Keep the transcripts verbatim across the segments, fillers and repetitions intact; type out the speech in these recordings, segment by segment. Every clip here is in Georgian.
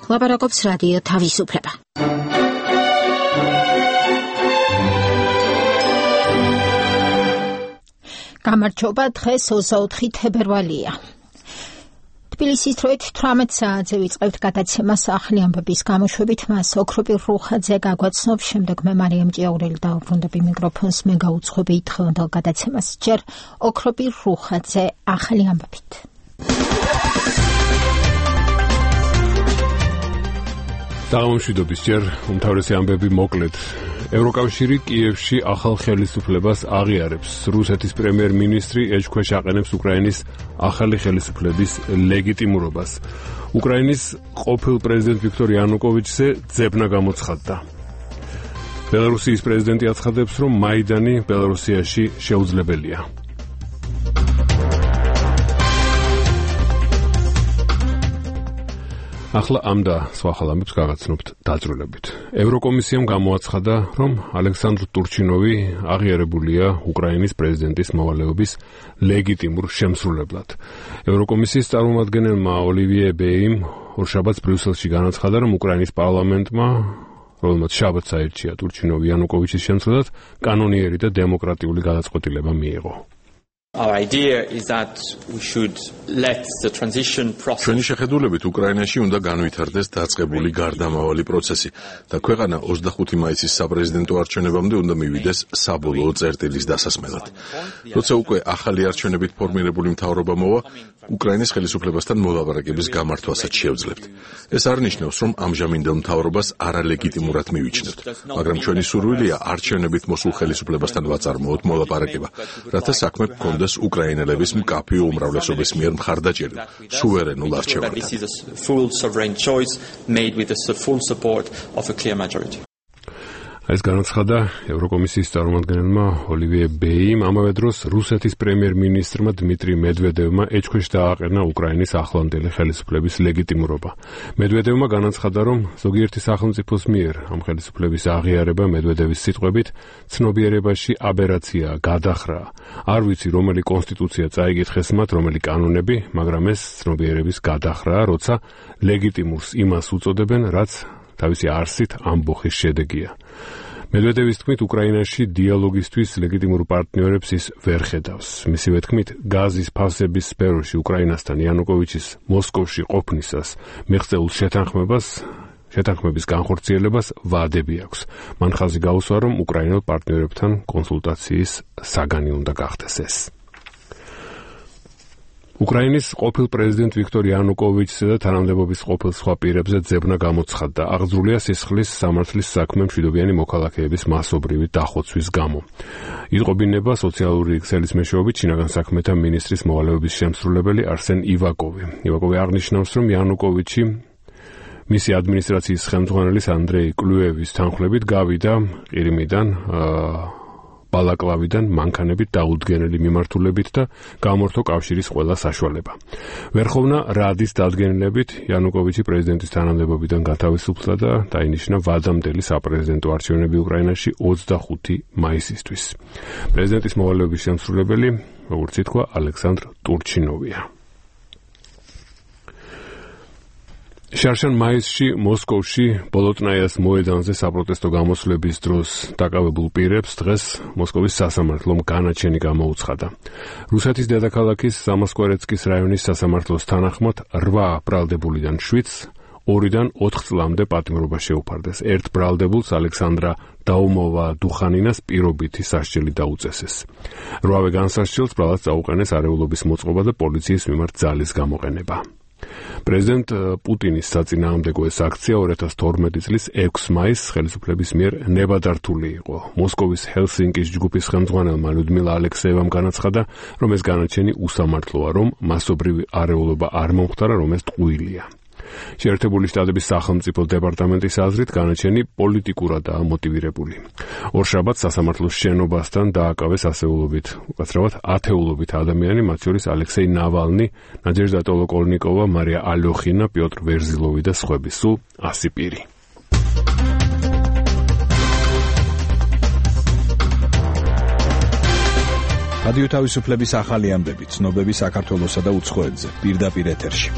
ლაპარაკობს რადიო თავისუფლება. გამარჯობა, დღეს ოცდაოთხი თებერვალია. თბილისის დროით თვრამეტ საათზე ვიწყებთ გადაცემას ახალი ამბების გამოშვებით. მას ოქროპირ რუხაძე გაგვაცნობს, შემდეგ მე მარიამ ჭიაურელი დავუბრუნდები მიკროფონს, მე გაუძღვები დღევანდელ გადაცემას. ჯერ ოქროპირ რუხაძე ახალი ამბებით. დაღამშვიდობის ჯერ უმთავრესი ამბები მოკლედ. ევროკავშირი კიევში ახალ ხელისუფლებას აღიარებს. რუსეთის პრემიერ-მინისტრი ეჭქვეშ აყენებს უკრაინის ახალი ხელისუფლების ლეგიტიმურობას. უკრაინის ყოფილ პრეზიდენტ ვიქტორ იანუკოვიჩზე ძებნა გამოცხადდა. ბელარუსიის პრეზიდენტი აცხადებს, რომ მაიდანი ბელარუსიაში შეუძლებელია. ახლა ამ და სხვა ხალხებს გაგაცნობთ დაძრულებით. ევროკომისიამ გამოაცხადა, რომ ალექსანდრ ტურჩინოვი აღიარებულია უკრაინის პრეზიდენტის მოვალეობის ლეგიტიმურ შემსრულებლად. ევროკომისიის წარმომადგენელმა ოლივიე ბეიმ ორშაბათს ბრიუსელში განაცხადა, რომ უკრაინის პარლამენტმა, რომელმაც შაბათს აირჩია ტურჩინოვი იანუკოვიჩის შემცვლელად, კანონიერი და დემოკრატიული გადაწყვეტილება მიიღო. Our idea is that we should let the transition process. ჩვენი შეხედულებით უკრაინაში უნდა განვითარდეს დაწყებული გარდამავალი პროცესი და ქვეყანა ოცდახუთი მაისის საპრეზიდენტო არჩევნებამდე უნდა მივიდეს საბოლოო წერტილის დასასმელად. როცა უკვე ახალი არჩევნებით ფორმირებული მთავრობა მოვა, უკრაინის ხელისუფლებასთან მოლაპარაკების გამართვასაც შევძლებთ. ეს არ ნიშნავს, რომ ამჟამინდელ მთავრობას არალეგიტიმურად მივიჩნევთ, მაგრამ ჩვენი სურვილია არჩევნებით მოსულ ხელისუფლებასთან ვაწარმოოთ მოლაპარაკება, რათა საქმე გქონდეს უკრაინელების მკაფიო უმრავლესობის მიერ მხარდაჭერილ სუვერენულ არჩევანთან. ეს განაცხადა ევროკომისიის წარმომადგენელმა ოლივიე ბეიმ. ამავე დროს რუსეთის პრემიერ-მინისტრმა დმიტრი მედვედევმა ეჭქვეშ დააყენა უკრაინის ახლანდელი ხელისუფლების ლეგიტიმურობა. მედვედევმა განაცხადა, რომ ზოგიერთი სახელმწიფოს მიერ ამ ხელისუფლების აღიარება მედვედევის სიტყვებით ცნობიერებაში აბერაციაა, გადახრაა. არ ვიცი, რომელი კონსტიტუცია წაიკითხეს მათ, რომელი კანონები, მაგრამ ეს ცნობიერების გადახრაა, როცა ლეგიტიმურს იმას უწოდებენ, რაც თავისი არსით ამბოხის შედეგია. მედვედევის თქმით, უკრაინაში დიალოგისთვის ლეგიტიმურ პარტნიორებს ის ვერ ხედავს. მისივე თქმით, გაზის ფასების სფეროში უკრაინასთან იანუკოვიჩის მოსკოვში ყოფნისას მიღწეულ შეთანხმებას შეთანხმების განხორციელებას ვადები აქვს. მან ხაზი გაუსვა, რომ უკრაინელ პარტნიორებთან კონსულტაციის საგანი უნდა გახდეს ეს. უკრაინის ყოფილ პრეზიდენტ ვიქტორ იანუკოვიჩზე და თანამდებობის ყოფილ სხვა პირებზე ძებნა გამოცხადდა. აღძრულია სისხლის სამართლის საქმე მშვიდობიანი მოქალაქეების მასობრივი დახოცვის გამო. იტყობინება სოციალური ქსელის მეშვეობით შინაგან საქმეთა მინისტრის მოვალეობის შემსრულებელი არსენ ივაკოვი. ივაკოვი აღნიშნავს, რომ იანუკოვიჩი მისი ადმინისტრაციის ხელმძღვანელის ანდრეი კლუევის თანხლებით გავიდა ყირიმიდან, ბალაკლავიდან მანქანებით დაუდგენელი მიმართულებით და გამორთო კავშირის ყველა საშუალება. ვერხოვნა რადის დადგენილებით იანუკოვიჩი პრეზიდენტის თანამდებობიდან გათავისუფლდა და დაინიშნა ვადამდელი საპრეზიდენტო არჩევნები უკრაინაში ოცდახუთი მაისისთვის. პრეზიდენტის მოვალეობის შემსრულებელი, როგორც ითქვა, ალექსანდრ ტურჩინოვია. შარშან მაისში მოსკოვში ბოლოტნაიას მოედანზე საპროტესტო გამოსვლების დროს დაკავებულ პირებს დღეს მოსკოვის სასამართლომ განაჩენი გამოუცხადა. რუსეთის დედაქალაქის სამოსკვერეცკის რაიონის სასამართლოს თანახმად რვა ბრალდებულიდან შვიდს ორიდან ოთხ წლამდე პატიმრობა შეუფარდეს. ერთ ბრალდებულს ალექსანდრა დაუმოვა-დუხანინას პირობითი სასჯელი დაუწესეს. რვავე განსასჯელს ბრალად წაუყენეს არეულობის მოწყობა და პოლიციის მიმართ ძალის გამოყენება. პრეზიდენტ პუტინის საწინააღმდეგო ეს აქცია ორი ათას თორმეტი წლის ექვსი მაისს ხელისუფლების მიერ ნებადართული იყო. მოსკოვის ჰელსინკის ჯგუფის ხელმძღვანელმა ლიუდმილა ალექსეევამ განაცხადა, რომ ეს განაჩენი უსამართლოა, რომ მასობრივი არეულობა არ მომხდარა, რომ ეს ტყუილია. შეერთებული შტატების სახელმწიფო დეპარტამენტის აზრით განაჩენი პოლიტიკურადაა მოტივირებული. ორშაბათს სასამართლოს შენობასთან დააკავეს ასეულობით, უკაცრავად ათეულობით ადამიანი, მათ შორის ალექსეი ნავალნი, ნადეჟდა ტოლოკოლნიკოვა, მარია ალოხინა, პიოტრ ვერზილოვი და სხვები, სულ ასი პირი. რადიო თავისუფლების ახალი ამბები, ცნობები საქართველოსა და უცხოეთზე, პირდაპირ ეთერში.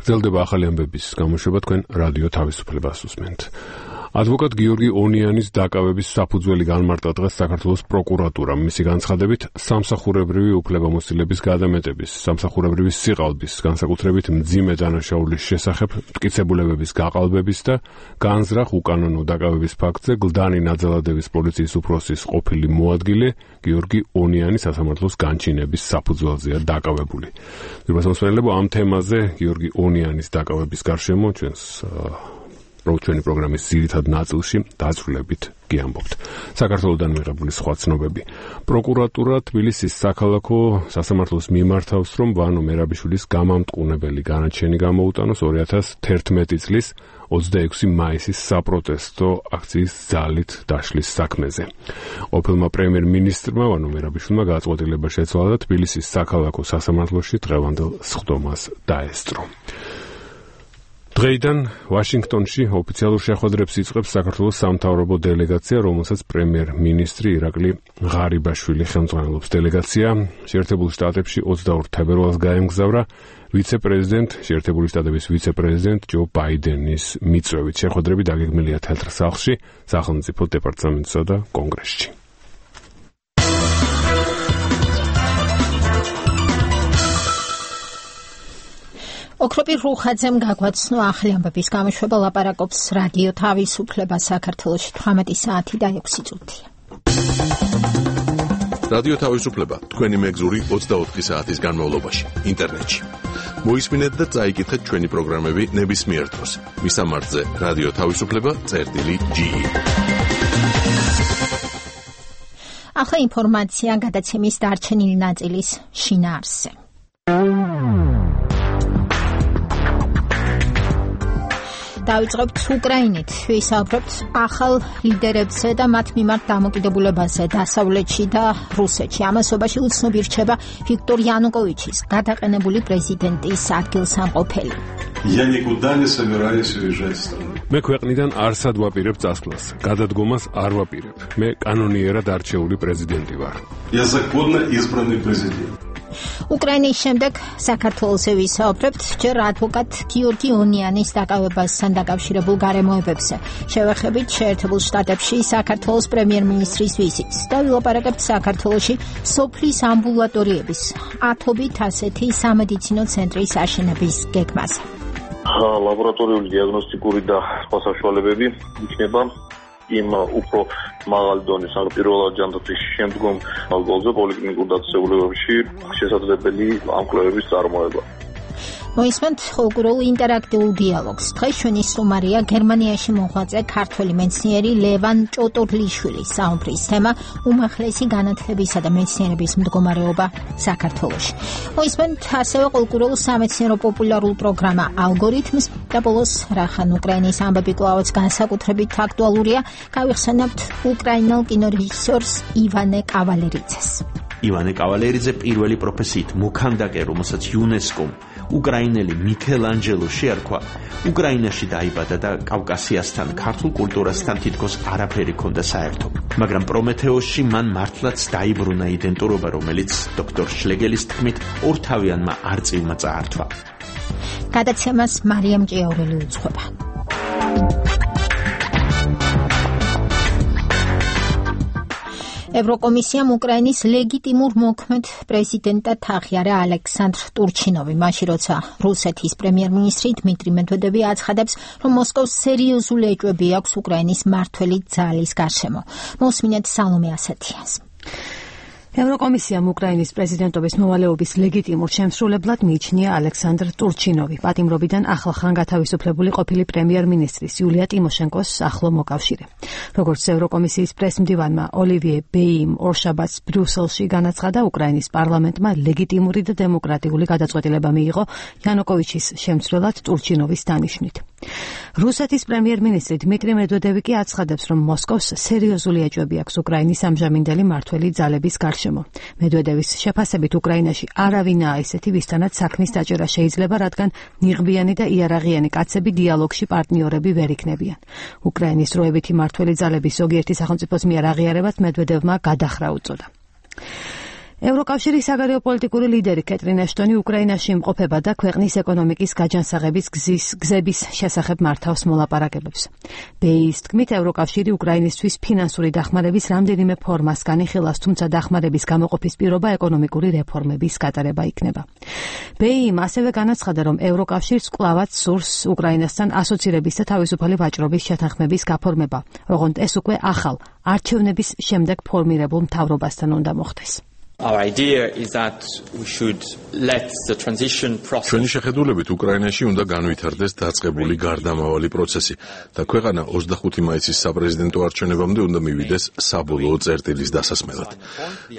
გრძელდება ახალი ამბების გამოშვება, თქვენ რადიო თავისუფლებას უსმენთ. ადვოკატ გიორგი ონიანის დაკავების საფუძველი განმარტა დღეს საქართველოს პროკურატურამ. მისი განცხადებით, სამსახურებრივი უფლებამოსილების გადამეტების, სამსახურებრივი სიყალბის, განსაკუთრებით მძიმე დანაშაულის შესახებ მტკიცებულებების გაყალბების და განზრახ უკანონო დაკავების ფაქტზე გლდანი ნაძალადევის პოლიციის უფროსის ყოფილი მოადგილე გიორგი ონიანი სასამართლოს განჩინების საფუძველზეა დაკავებული. მოგესალმებით ამ თემაზე გიორგი ონიანის დაკავების გარშემო ჩვენს ჩვენი პროგრამის ძირითად ნაწილში დაწვრილებით გიამბობთ. საქართველოსდან მიღებული სხვა ცნობები. პროკურატურა თბილისის საქალაქო სასამართლოს მიმართავს, რომ ვანო მერაბიშვილის გამამტყუნებელი განაჩენი გამოუტანოს ორი ათას თერთმეტი წლის ოცდაექვსი მაისის საპროტესტო აქციის ძალით დაშლის საქმეზე. ყოფილმა პრემიერ-მინისტრმა ვანო მერაბიშვილმა გადაწყვეტილება შეცვალა და თბილისის საქალაქო სასამართლოში დღევანდელ სხდომას დაესწრო. დღეიდან ვაშინგტონში ოფიციალურ შეხვედრებს იწყებს საქართველოს სამთავრობო დელეგაცია, რომელსაც პრემიერ-მინისტრი ირაკლი ღარიბაშვილი ხელმძღვანელობს. დელეგაცია შეერთებულ შტატებში ოცდაორ თებერვალს გაემგზავრა ვიცე-პრეზიდენტ შეერთებული შტატების ვიცე-პრეზიდენტ ჯო ბაიდენის მიწვევით. შეხვედრები დაგეგმილია თეთრ სახლში, სახელმწიფო დეპარტამენტსა და კონგრესში. ოქროპირ რუხაძემ გაგვაცნო ახალი ამბების გამოშვება, ლაპარაკობს რადიო თავისუფლება საქართველოში თვრამეტი საათი და ექვსი წუთია. რადიო თავისუფლება თქვენი მეგზური ოცდაოთხი საათის განმავლობაში ინტერნეტში. მოისმინეთ და წაიკითხეთ ჩვენი პროგრამები ნებისმიერ დროს. მისამართზე რადიო თავისუფლება წერტილი ჯი. ახლა ინფორმაცია გადაცემის დარჩენილი ნაწილის შინაარსზე. დავიწყებთ უკრაინით. ვისაუბრებთ ახალ ლიდერებზე და მათ მიმართ დამოკიდებულებაზე დასავლეთში და რუსეთში. ამასობაში უცნობი რჩება ვიქტორ იანუკოვიჩის გადაყენებული პრეზიდენტის ადგილსამყოფელი. მე ქვეყნიდან არსად ვაპირებ წასვლას. გადადგომას არ ვაპირებ. მე კანონიერად არჩეული პრეზიდენტი ვარ. უკრაინის შემდეგ საქართველოსზე ვისაუბრებთ ჯერ ადვოკატ გიორგი ონიანის დაკავებასთან დაკავშირებულ გარემოებებზე. შევეხებით შეერთებულ შტატებში საქართველოს პრემიერ-მინისტრის ვიზიტს და ვილაპარაკებთ საქართველოში სოფლის ამბულატორიების ათობით ასეთი სამედიცინო ცენტრის აშენების გეგმაზე. ლაბორატორიული დიაგნოსტიკური და სხვა საშუალებები იქნება იმ უფრო მაღალი დონის, ან პირველად ჯანდაცვის შემდგომ ალგოლზე პოლიკლინიკურ დაწესებულებებში შესაძლებელი ამ კვლევების წარმოება. მოისმენთ ხოლმე ინტერაქტიულ დიალოგს. დღეს ჩვენი სტუმარია გერმანიაში მოღვაწე ქართველი მეცნიერი ლევან ჭოტორლიშვილის საუბრის თემა უმაღლესი განათლებისა და მეცნიერების მდგომარეობა საქართველოში. მოისმენთ ასევე კულტურულ სამეცნიერო პოპულარულ პროგრამა ალგორითმს და ბოლოს რახან უკრაინის ამბები კვლავაც განსაკუთრებით აქტუალურია, გავიხსენებთ უკრაინელ კინორეჟისორს ივანე კავალერიძეს. ივანე კავალერიძე პირველი პროფესიით მოქანდაკე, რომელსაც იუნესკომ უკრაინელი მიქელანჯელო შეარქვა, უკრაინაში დაიბადა და კავკასიასთან, ქართულ კულტურასთან თითქოს არაფერი ჰქონდა საერთო. მაგრამ პრომეთეოსში მან მართლაც დაიბრუნა იდენტურობა, რომელიც დოქტორ შლეგელის თქმით ორთავიანმა არწივმა წაართვა. გადაცემას მარიამ ჭიაურელი უძღვება. ევროკომისიამ უკრაინის ლეგიტიმურ მოქმედ პრეზიდენტად აღიარა ალექსანდრ ტურჩინოვი, მაშინ როცა რუსეთის პრემიერ-მინისტრი დმიტრი მედვედევი აცხადებს, რომ მოსკოვს სერიოზული ეჭვები აქვს უკრაინის მმართველი ძალის გარშემო. მოსმინეთ სალომე ასათიანს. ევროკომისიამ უკრაინის პრეზიდენტობის მოვალეობის ლეგიტიმურ შემსრულებლად მიიჩნია ალექსანდრ ტურჩინოვი, პატიმრობიდან ახლახან გათავისუფლებული ყოფილი პრემიერ-მინისტრის იულია ტიმოშენკოს ახლო მოკავშირე. როგორც ევროკომისიის პრესმდივანმა ოლივიე ბეიმ ორშაბათს ბრიუსელში განაცხადა, უკრაინის პარლამენტმა ლეგიტიმური და დემოკრატიული გადაწყვეტილება მიიღო იანუკოვიჩის შემცვლელად ტურჩინოვის დანიშვნით. რუსეთის პრემიერ-მინისტრი დმიტრი მედვედევი კი აცხადებს, რომ მოსკოვს სერიოზული ეჭვები აქვს უკრაინის ამჟამინდელი მმართველი ძალების გარშემო. მედვედევის შეფასებით უკრაინაში არავინაა ისეთი, ვისთანაც საქმის დაჭერა შეიძლება, რადგან ნიღბიანი და იარაღიანი კაცები დიალოგში პარტნიორები ვერ იქნებიან. უკრაინის დროებითი მმართველი ძალების ზოგიერთი სახელმწიფოს მიერ აღიარებად მედვედევმა გადახრა უწოდა. ევროკავშირის საგარეო პოლიტიკური ლიდერი კეტრინ ეშტონი უკრაინაში იმყოფება და ქვეყნის ეკონომიკის გაჯანსაღების გზის გზების შესახებ მართავს მოლაპარაკებებს. ბეის თქმით, ევროკავშირი უკრაინისთვის ფინანსური დახმარების რამდენიმე ფორმას განიხილავს, თუმცა დახმარების გამოყოფის პირობა ეკონომიკური რეფორმების გატარება იქნება. ბეიმ ასევე განაცხადა, რომ ევროკავშირს კვლავაც სურს უკრაინასთან ასოცირების და თავისუფალი ვაჭრობის შეთანხმების გაფორმება, ოღონდ ეს უკვე ახალ არჩევნების შემდეგ ფორმირებულ მთავრობასთან უნდა მოხდეს. Our idea is that we should let the transition process. ჩვენი შეხედულებით უკრაინაში უნდა განვითარდეს დაწყებული გარდამავალი პროცესი და ქვეყანა ოცდახუთი მაისის საპრეზიდენტო არჩევნებამდე უნდა მივიდეს საბოლოო წერტილის დასასმელად.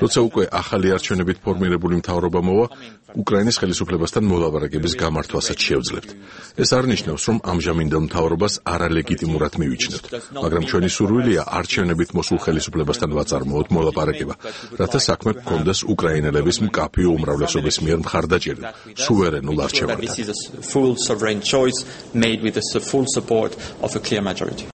როცა უკვე ახალი არჩევნებით ფორმირებული მთავრობა მოვა, უკრაინის ხელისუფლებასთან მოლაპარაკების გამართვასაც შევძლებთ. ეს არ ნიშნავს, რომ ამჟამინდელ მთავრობას არალეგიტიმურად მივიჩნევთ, მაგრამ ჩვენი სურვილია არჩევნებით მოსულ ხელისუფლებასთან ვაწარმოოთ მოლაპარაკება, რათა საქმე გქონდეს უკრაინელების მკაფიო უმრავლესობის მიერ მხარდაჭერით სუვერენულ არჩევანთან. This is a full sovereign choice made with the full support of a clear majority.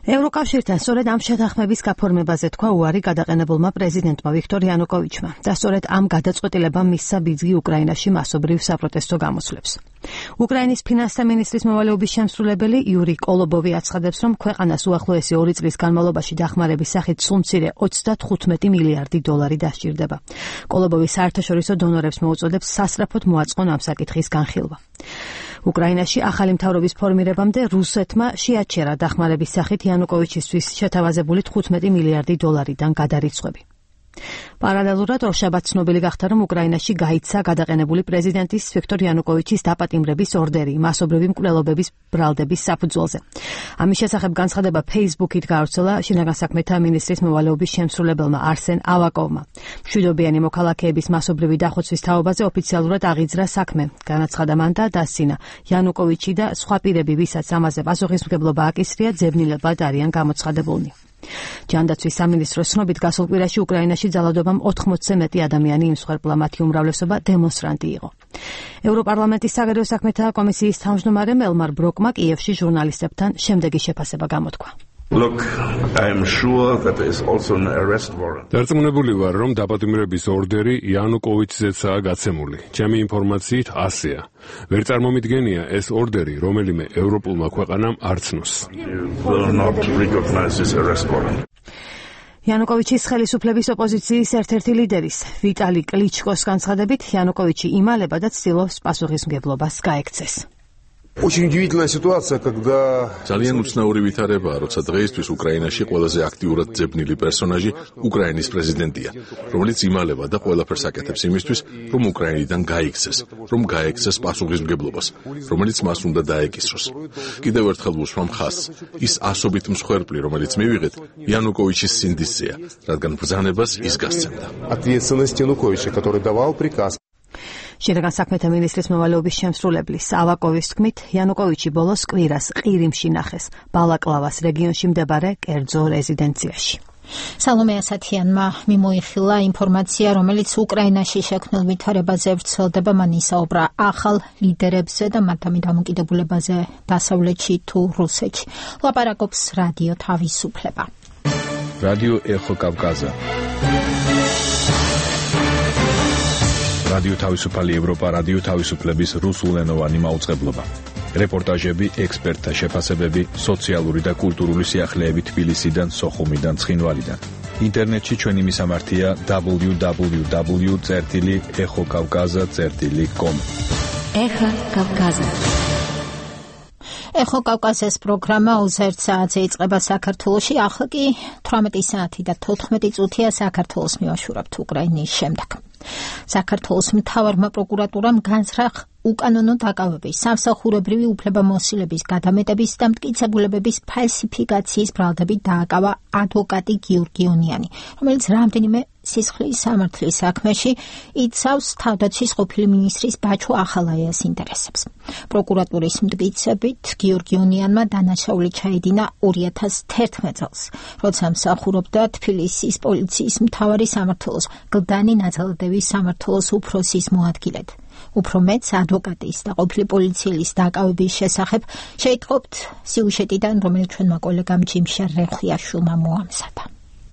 ევროკავშირთან სწორედ ამ შეთანხმების გაფორმებაზე თქვა უარი გადაყენებულმა პრეზიდენტმა ვიქტორ იანუკოვიჩმა და სწორედ ამ გადაწყვეტილებამ მისცა ბიძგი უკრაინაში მასობრივ საპროტესტო გამოსვლებს. უკრაინის ფინანსთა მინისტრის მოვალეობის შემსრულებელი იური კოლობოვი აცხადებს, რომ ქვეყანას უახლოესი ორი წლის განმავლობაში დახმარების სახით სულ მცირე ოცდათხუთმეტი მილიარდი დოლარი დასჭირდება. კოლობოვი საერთაშორისო დონორებს მოუწოდებს სასწრაფოდ მოაწყონ ამ საკითხის განხილვა. უკრაინაში ახალი მთავრობის ფორმირებამდე რუსეთმა შეაჩერა დახმარების სახით იანუკოვიჩისთვის შეთავაზებული თხუთმეტი მილიარდი დოლარიდან გადარიცხვები. პარალელურად ორშაბათს ცნობილი გახდა, რომ უკრაინაში გაიცა გადაყენებული პრეზიდენტის ვიქტორ იანუკოვიჩის დაპატიმრების ორდერი მასობრივი მკვლელობების ბრალდების საფუძველზე. ამის შესახებ განცხადება Facebook-ით გავრცელა შინაგან საქმეთა მინისტრის მოვალეობის შემსრულებელმა არსენ ავაკოვმა. მშვიდობიანი მოქალაქეების მასობრივი დახოცვის თაობაზე ოფიციალურად აღიძრა საქმე. განაცხადა მან და დასცინა, იანუკოვიჩი და სხვა პირები, ვისაც ამაზე პასუხისმგებლობა აკისრია, ძებნილებად არიან გამოცხადებულნი. ჯანდაცვის სამინისტროს ცნობით გასულ კვირაში უკრაინაში ძალადობამ ოთხმოცზე მეტი ადამიანი იმსხვერპლა, მათი უმრავლესობა დემონსტრანტი იყო. ევროპარლამენტის საგარეო საქმეთა კომისიის თავმჯდომარემ ელმარ ბროკმა კიევში ჟურნალისტებთან შემდეგი შეფასება გამოთქვა. Look, I am sure that there is also an arrest warrant. დარწმუნებული ვარ, რომ დაპატიმრების ორდერი იანუკოვიჩზეცაა გაცემული. ჩემი ინფორმაციით ასეა. ვერ წარმომიდგენია ეს ორდერი რომელიმე ევროპულმა ქვეყანამ არ ცნოს. Will not recognize this arrest warrant. იანუკოვიჩის ხელისუფლების ოპოზიციის ერთ-ერთი ლიდერის ვიტალი კლიჩკოს განცხადებით, იანუკოვიჩი იმალება და ცდილობს პასუხისმგებლობას გაექცეს. Очень удивительная ситуация, когда ძალიან უცნაური ვითარებაა, როცა დღეისთვის უკრაინაში ყველაზე აქტიურად ძებნილი პერსონაჟი უკრაინის პრეზიდენტია, რომელიც იმალება და ყველაფერს აკეთებს იმისთვის, რომ უკრაინიდან გაიქცეს, რომ გაექცეს პასუხისმგებლობას, რომელიც მას უნდა დაეკისროს. კიდევ ერთხელ ვუსვამ ხაზს, ის ასობით მსხვერპლი, რომელიც მივიღეთ, იანუკოვიჩის სინდისზეა, რადგან ბრძანებას ის გასცემდა. Ответственность Януковича, который давал приказ. შინაგან საქმეთა მინისტრის მოვალეობის შემსრულებლის ავაკოვის თქმით, იანუკოვიჩი ბოლოს კვირას ყირიმში ნახეს, ბალაკლავას რეგიონში მდებარე კერძო რეზიდენციაში. სალომე ასათიანმა მიმოიხილა ინფორმაცია, რომელიც უკრაინაში შექმნილ ვითარებაზე ვრცელდება. მან ისაუბრა ახალ ლიდერებზე და მათი დამოკიდებულებაზე დასავლეთში თუ რუსეთში. ლაპარაკობს რადიო თავისუფლება. რადიო ეხო კავკაზა. რადიო თავისუფალი ევროპა, რადიო თავისუფლების რუსულენოვანი მაუწყებლობა. რეპორტაჟები, ექსპერტთა შეფასებები, სოციალური და კულტურული სიახლეები თბილისიდან, სოხუმიდან, ცხინვალიდან. ინტერნეტში ჩვენი მისამართია დაბლიუ დაბლიუ დაბლიუ წერტილი ეხო კავკაზა წერტილი კომ. ეხო კავკაზა. ეხო კავკაზის პროგრამა ოცდაერთ საათზე იწყება საქართველოში, ახლა კი თვრამეტი საათი და თოთხმეტი წუთია საქართველოს მივაშურებთ უკრაინის შემდეგ. საქართველოს მთავარმა პროკურატურამ განცდა უკანონო დაკავების, სამსახურებრივი უფლებამოსილების გადამეტების და მტკიცებულებების ფალსიფიკაციის ბრალდებით დააკავა ადვოკატი გიორგი ონიანი, რომელიც რამდენიმე სისხლის სამართლის საქმეში იცავს თავდაცვის ყოფილი მინისტრის ბაჩო ახალაიას ინტერესებს. პროკურატურის მტკიცებით გიორგი ონიანმა დანაშაული ჩაედინა ორი ათას თერთმეტ წელს, როცა მსახურობდა თბილისის პოლიციის მთავარი სამმართველოს გლდანი ნაძალადევის სამმართველოს უფროსის მოადგილედ. უფრო მეც ადვოკატის და ყოფილი პოლიციელის დაკავების შესახებ შეიტყობთ სიუჟეტიდან, რომელიც ჩვენმა კოლეგამ ჯიმშა რეხვიაშვილმა მოამზადა.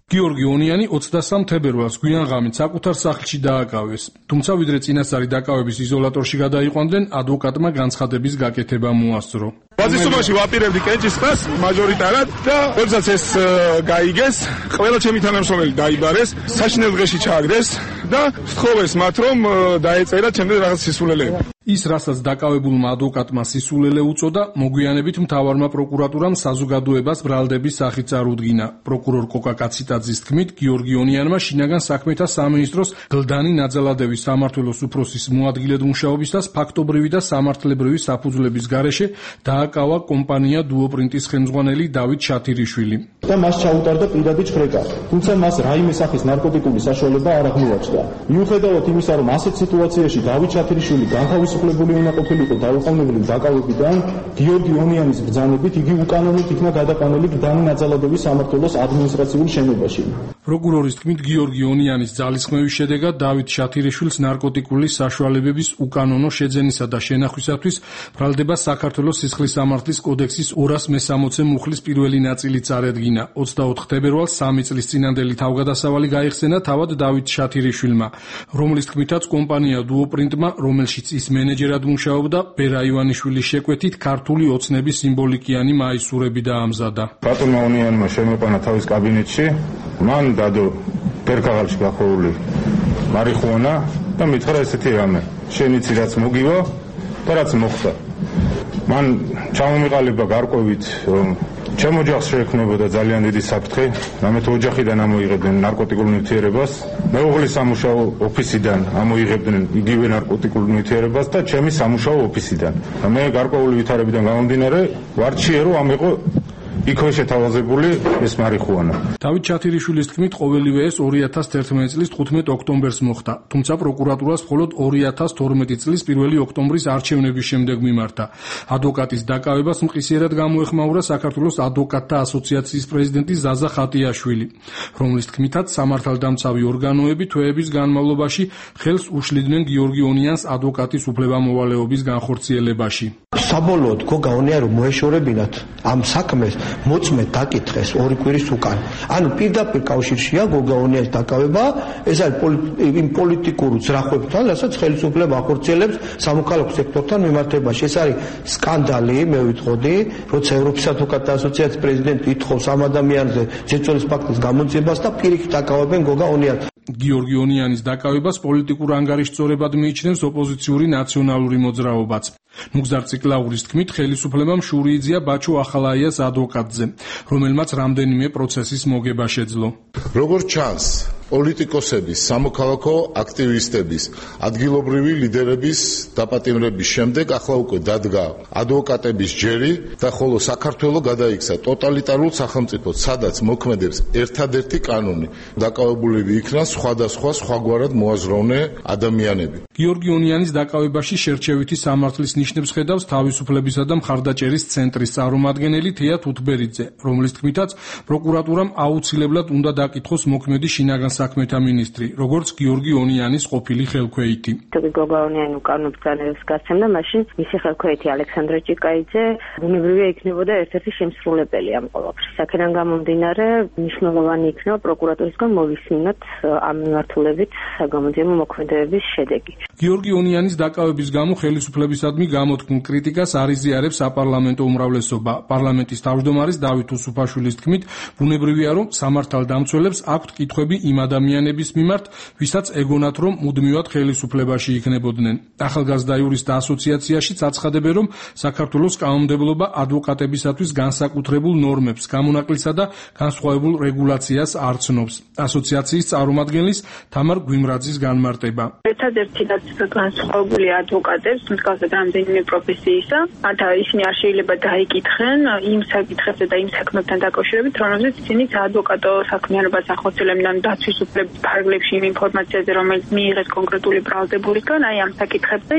გიორგი ონიანი ოცდასამ თებერვალს გვიანღამით საკუთარ სახლში დააკავეს, თუმცა ვიდრე წინასწარი დაკავების იზოლატორში გადაიყვანდნენ, ადვოკატმა განცხადების გაკეთება მოასწრო. ბაზისობაში ვაპირებდი კენჭისყრას მაჟორიტარად და როდესაც ეს გაიგეს, ყველა ჩემი თანამშრომელი დაიბარეს, საშინელ დღეში ჩააგდეს და სთხოვეს მათ რომ დაეწერა ჩემს რაღაც სისულელეები. ის, რასაც დაკავებულმა ადვოკატმა სისულელე უწოდა, მოგვიანებით მთავარმა პროკურატურამ საზოგადოებას ბრალდების სახით წარუდგინა. პროკურორ კოკა კაციტაძის თქმით, გიორგი ონიანმა შინაგან საქმეთა სამინისტროს გლდანი ნაძალადევის სამმართველოს უფროსის მოადგილედ მუშაობისას ფაქტობრივი და სამართლებრივი საფუძვლების გარეშე დააკავა კომპანია დუოპრინტის ხელმძღვანელი დავით შათირიშვილი. და მას ჩაუტარდა პირადი ჩხრეკა, თუმცა მას რაიმე სახის ნარკოტიკული საშუალება არ აღმოაჩნდა. მიუხედავად იმისა, რომ ასეთ სიტუაციაში დავით შათირიშვილი განთავისუფლებული უნდა ყოფილიყო დაუყოვნებლივ დაკავებიდან, გიორგი ონიანის ბრძანებით იგი უკანონოდ იქნა გადაყვანილი გლდანი ნაძალადევის სამმართველოს ადმინისტრაციულ შენობაში. პროკურორის თქმით, გიორგი ონიანის ძალისხმევის შედეგად დავით შათირიშვილს ნარკოტიკული საშუალებების უკანონო შეძენისა და შენახვისათვის ბრალდება საქართველოს სისხლის სამართლის კოდექსის ორას მესამოცე მუხლის პირველი ნაწილი წარედგინა. ოცდაოთხ თებერვალს სამი წლის წინანდელი თავგადასავალი გაიხსენა თავად დავით შათირიშვილმა, რომლის თქმითაც კომპანია დუოპრინტმა, რომელშიც ის მენეჯერად მუშაობდა, ბერა ივანიშვილის შეკვეთით ქართული ოცნების სიმბოლიკიანი მაისურები დაამზადა. ბატონმა ონიანმა შემოყვანა თავის კაბინეტში, მან დადო პერკაღალში გახურული მარიხუანა და მითხრა ესეთი რამე, შენ იცი რაც მოგივა და რაც მოხდა. მან ჩამომიყალიბა გარკვევით, რომ ჩემ ოჯახს შეექმნებოდა ძალიან დიდი საფრთხე, რამეთ ოჯახიდან ამოიღებდნენ ნარკოტიკულ ნივთიერებას, მეუღლის სამუშაო ოფისიდან ამოიღებდნენ იგივე ნარკოტიკულ ნივთიერებას და ჩემი სამუშაო ოფისიდან. მე გარკვეული ვითარებიდან გამომდინარე, ვარჩიე რომ ამიყო იქვე შეთავაზებული ეს მარიხუანა. დავით შათირიშვილის თქმით, ყოველივე ეს ორი ათას თერთმეტი წლის თხუთმეტ ოქტომბერს მოხდა, თუმცა პროკურატურას მხოლოდ ორი ათას თორმეტი წლის პირველი ოქტომბრის არჩევნების შემდეგ მიმართა. ადვოკატის დაკავებას მყისიერად გამოეხმაურა საქართველოს ადვოკატთა ასოციაციის პრეზიდენტი ზაზა ხატიაშვილი, რომლის თქმითაც სამართალდამცავი ორგანოები თვეების განმავლობაში ხელს უშლიდნენ გიორგი ონიანს ადვოკატის უფლებამოვალეობის განხორციელებაში. საბოლოოდ გოგა ონია რომ მოეშორებინათ ამ საქმეს მოწმეთ დაკითხეს ორი კვირის უკან. ანუ პირდაპირ კავშირშია გოგა ონიას დაკავება, ეს არის იმ პოლიტიკურ ძრახებთან, რასაც ხელისუფლება ახორციელებს სამოქალაქო სექტორთან მიმართებაში. ეს არის სკანდალი, მე ვიტყოდი, როცა ევროპის ადვოკატთა ასოციაციის პრეზიდენტი ითხოვს ამ ადამიანზე ზეწოლის ფაქტის გამოძიებას და პირიქით დაკავებენ გოგა ონიას. გიორგი ონიანის დაკავებას პოლიტიკურ ანგარიშწორებად მიიჩნევს ოპოზიციური ნაციონალური მოძრაობაც. ნუგზარ ციკლაურის თქმით, ხელისუფლებამ შური იძია ბაჩო ახალაიას ადვოკატზე, რომელმაც რამდენიმე პროცესის მოგება შეძლო. როგორც ჩანს, პოლიტიკოსების, სამოქალაქო აქტივისტების, ადგილობრივი ლიდერების დაპატიმრების შემდეგ ახლა უკვე დადგა ადვოკატების ჯერი და ხოლო საქართველო გადაიქცა ტოტალიტარულ სახელმწიფოდ, სადაც მოქმედებს ერთადერთი კანონი. დაკავებულები იქნა სხვადასხვა სხვაგვარად მოაზროვნე ადამიანები. გიორგი ონიანის დაკავებაში შერჩევითი სამართლის ნიშნებს ხედავს თავისუფლებისა და მხარდაჭერის ცენტრის წარმომადგენელი თეა თუთბერიძე, რომლის თქმითაც პროკურატურამ აუცილებლად უნდა დაკითხოს მოქმედი შინაგან საქმეთა მინისტრი, როგორც გიორგი ონიანის ყოფილი ხელქვეითი. გოგა ონიანი უკანონო ბრძანებას გასცემდა, მაშინ მისი ხელქვეითი ალექსანდრე ჭიკაიძე ბუნებრივია იქნებოდა ერთ-ერთი შემსრულებელი ამ ყველაფრის. აქედან გამომდინარე, მნიშვნელოვანი იქნება პროკურატურისგან მოვისმინოთ ამ მიმართულებით საგამოძიებო მოქმედებების შედეგი. გიორგი ონიანის დაკავების გამო ხელისუფლებისადმი გამოთქმულ კრიტიკას არ იზიარებს საპარლამენტო უმრავლესობა. პარლამენტის თავმჯდომარის დავით უსუფაშვილის თქმით, ბუნებრივია, რომ სამართალდამცველებს აქვთ კითხვები იმ ადამიანების მიმართ, ვისაც ეგონათ, რომ მუდმივად ხელისუფლებაში იქნებოდნენ. ახალგაზრდა იურისტთა ასოციაციაშიც აცხადებენ, რომ საქართველოს კანონმდებლობა ადვოკატებისათვის განსაკუთრებულ ნორმებს, გამონაკლისა და განსხვავებულ რეგულაციას არ ცნობს. ასოციაციის წარმომადგენლის თამარ გვიმრაძის განმარტება. ერთადერთი რაც განსხვავებული ადვოკატებს, მსგავსად რამდენიმე პროფესიისა, მათ ისინი არ შეიძლება დაიკითხენ იმ საკითხებზე და იმ საქმებთან დაკავშირებით, რომელზეც ისინი საადვოკატო საქმიანობას ახორციელებენ დაცვის უფლების ფარგლებში იმ ინფორმაციაზე, რომელიც მიიღეს კონკრეტული ბრალდებულისგან, აი ამ საკითხებზე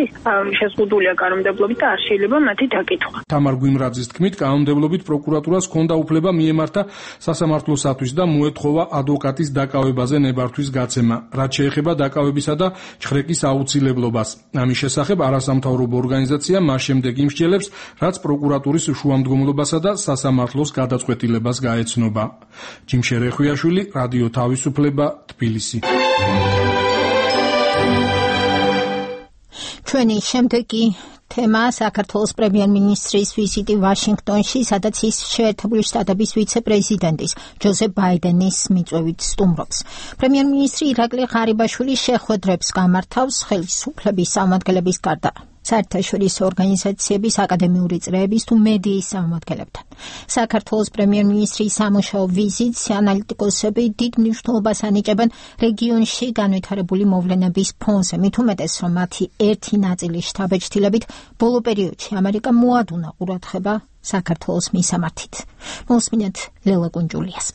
შეზღუდულია კანონმდებლობით და არ შეიძლება მათი დაკითხვა. თამარ გვიმრაძის თქმით, კანონმდებლობით პროკურატურას ჰქონდა უფლება მიემართა სასამართლოსათვის და მოეთხოვა ადვოკატის დაკავებაზე ნებართვის გაცემა, რაც შეეხება დაკავებისა და ჩხრეკის აუცილებლობას აუცილებლობას. ამის შესახებ არასამთავრობო ორგანიზაცია მას შემდეგ იმსჯელებს, რაც პროკურატურის შუამდგომლობასა და სასამართლოს გადაწყვეტილებას გაეცნობა. ჯიმშე რეხვიაშვილი, რადიო თავისუფლება, თბილისი. ჩვენი შემდეგი თემა საქართველოს პრემიერ-მინისტრის ვიზიტი ვაშინგტონში, სადაც ის შეერთებული შტატების ვიცე-პრეზიდენტის ჯოზეფ ბაიდენის მიწვევით სტუმრობს. პრემიერ-მინისტრი ირაკლი ღარიბაშვილი შეხვედრებს გამართავს ხელისუფლების წარმომადგენლების გარდა საერთაშორისო ორგანიზაციების, აკადემიური წრეების თუ მედიის წარმომადგენლებთან. საქართველოს პრემიერ-მინისტრის სამუშაო ვიზიტს ანალიტიკოსები დიდ მნიშვნელობას ანიჭებენ რეგიონში განვითარებული მოვლენების ფონზე, მით უმეტეს, რომ მათი ერთი ნაწილი შთაბეჭდილებით ბოლო პერიოდში ამერიკა მოადუნა ყურადღება საქართველოს მისამართით. მოსმინეთ ლელა კუნჯულიას.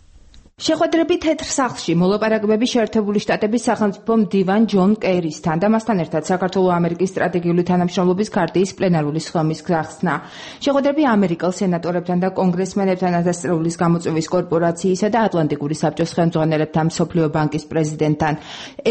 შეხვედრები თეთრ სახლში მოლაპარაკებები შეერთებული შტატების სახელმწიფო მდივან ჯონ კერისთან და მასთან ერთად საქართველო-ამერიკის სტრატეგიული თანამშრომლობის ქარტიის პლენარული სხდომის გახსნა. შეხვედრები ამერიკელ სენატორებთან და კონგრესმენებთან, ათასწლეულის გამოწვევის კორპორაციისა და ატლანტიკური საბჭოს ხელმძღვანელებთან, მსოფლიო ბანკის პრეზიდენტთან,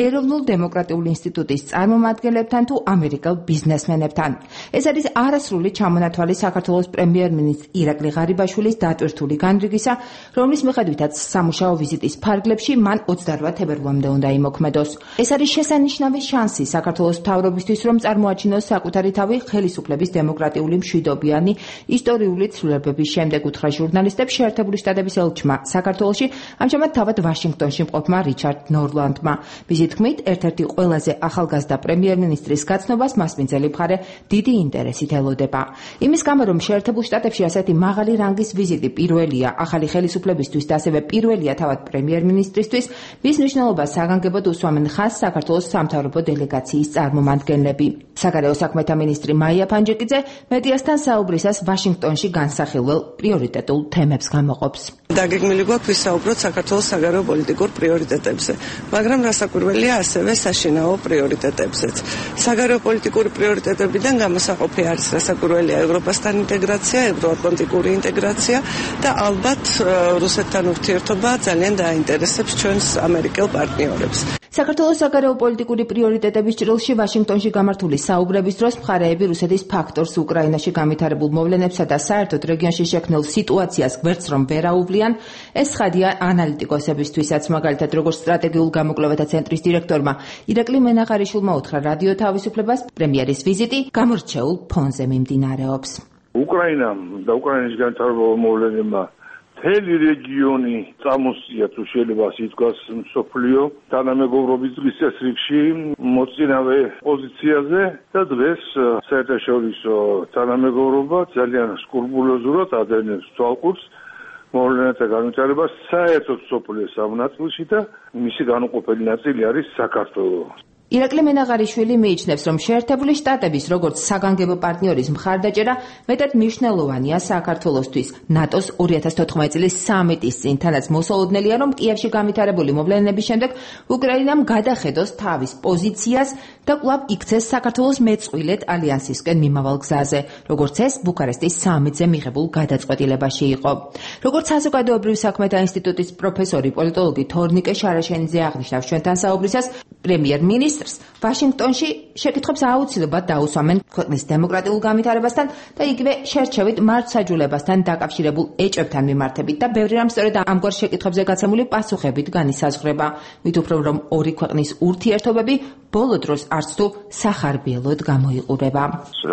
ეროვნულ დემოკრატიული ინსტიტუტის წარმომადგენლებთან თუ ამერიკელ ბიზნესმენებთან. ეს არის არასრული ჩამონათვალი საქართველოს პრემიერ-მინისტრის ირაკლი ღარიბაშვილის დატვირთული განრიგისა, რომლის მიხედვითაც სამუშაო ვიზიტის ფარგლებში მან ოცდაოთხ თებერვლამდე უნდა იმოქმედოს. ეს არის შესანიშნავი შანსი საქართველოს მთავრობისთვის, რომ წარმოაჩინოს საკუთარი თავი ხელისუფლების დემოკრატიული მშვიდობიანი ისტორიული ცვლილებების შემდეგ, უთხრა ჟურნალისტებს შეერთებული შტატების ელჩმა საქართველოში, ამჟამად თავად ვაშინგტონში მყოფმა რიჩარდ ნორლანდმა. მისი თქმით, ერთ-ერთი ყველაზე ახალგაზრდა პრემიერ-მინისტრის გაცნობას მასპინძელი მხარე დიდი ინტერესით ელოდება. იმის გამო, რომ შეერთებულ შტატებში ასეთი მაღალი რანგის ვიზიტი პირველია ახალი ხელისუფლებისთვის და ასევე პირველია თავად პრემიერ-მინისტრისთვის, მის მნიშვნელობას საგანგებოდ უსვამენ ხაზს საქართველოს სამთავრობო დელეგაციის წარმომადგენლები. საგარეო საქმეთა მინისტრი მაია ფანჯიკიძე მედიასთან საუბრისას ვაშინგტონში განსახილველ პრიორიტეტულ თემებს გამოყოფს. დაგეგმილი გვაქვს ვისაუბროთ საქართველოს საგარეო პოლიტიკურ პრიორიტეტებზე, მაგრამ რასაკვირველია ასევე საშინაო პრიორიტეტებზეც. საგარეო პოლიტიკური პრიორიტეტებიდან გამოსაყოფი არის რასაკვირველია ევროპასთან ინტეგრაცია, ევროატლანტიკური ინტეგრაცია და ალბათ რუსეთთან ურთიერთობა ძალიან დაინტერესებს ჩვენს ამერიკელ პარტნიორებს. საქართველოს საგარეო პოლიტიკური პრიორიტეტების ჭრილში ვაშინგტონში გამართული საუბრების დროს მხარეები რუსეთის ფაქტორს უკრაინაში განვითარებულ მოვლენებსა და საერთოდ რეგიონში შექმნილ სიტუაციას გვერდს რომ ვერ აუვლიან, ეს ცხადია ანალიტიკოსებისთვისაც, მაგალითად როგორც სტრატეგიულ გამოკვლევათა ცენტრის დირექტორმა ირაკლი მენაღარიშვილმა უთხრა რადიო თავისუფლებას, პრემიერის ვიზიტი გამორჩეულ ფონზე მიმდინარეობს. უკრაინამ და უკრაინის განვითარებულ მოვლენებმა მთელი რეგიონი წამოსწია, თუ შეიძლება ასე ითქვას, მსოფლიო თანამეგობრობის დღის წესრიგში მოწინავე პოზიციაზე და დღეს საერთაშორისო თანამეგობრობა ძალიან სკრუპულოზურად ადევნებს თვალყურს მოვლენათა განვითარებას საერთოდ მსოფლიოს სამ ნაწილში და მისი განუყოფელი ნაწილი არის საქართველო. ირაკლი მენაღარიშვილი მიიჩნევს, რომ შეერთებული შტატების როგორც საგანგებო პარტნიორის მხარდაჭერა მეტად მნიშვნელოვანია საქართველოსთვის. ნატოს ორი ათას თოთხმეტი წლის სამიტის წინ თანაც მოსალოდნელია, რომ კიევში განვითარებული მოვლენების შემდეგ უკრაინამ გადახედოს თავის პოზიციას და კვლავ იქცეს საქართველოს მეწყვილედ ალიანსისკენ მიმავალ გზაზე, როგორც ეს ბუქარესტის სამიტზე მიღებულ გადაწყვეტილებაში იყო. როგორც საზოგადოებრივ საქმეთა ინსტიტუტის პროფესორი პოლიტოლოგი თორნიკე შარაშენიძე აღნიშნავს ჩვენთან საუბრისას, პრემიერ-მინისტრს ვაშინგტონში შეკითხვებს აუცილებლად დაუსვამენ ქვეყნის დემოკრატიულ განვითარებასთან და იგივე შერჩევით მართლმსაჯულებასთან დაკავშირებულ ეჭვებთან მიმართებით და ბევრი რამ სწორედ ამგვარ შეკითხვებზე გაცემული პასუხებით განისაზღვრება. მით უფრო რომ ორი ქვეყნის ურთიერთობები ბოლო დროს არც თუ სახარბიელოდ გამოიყურება.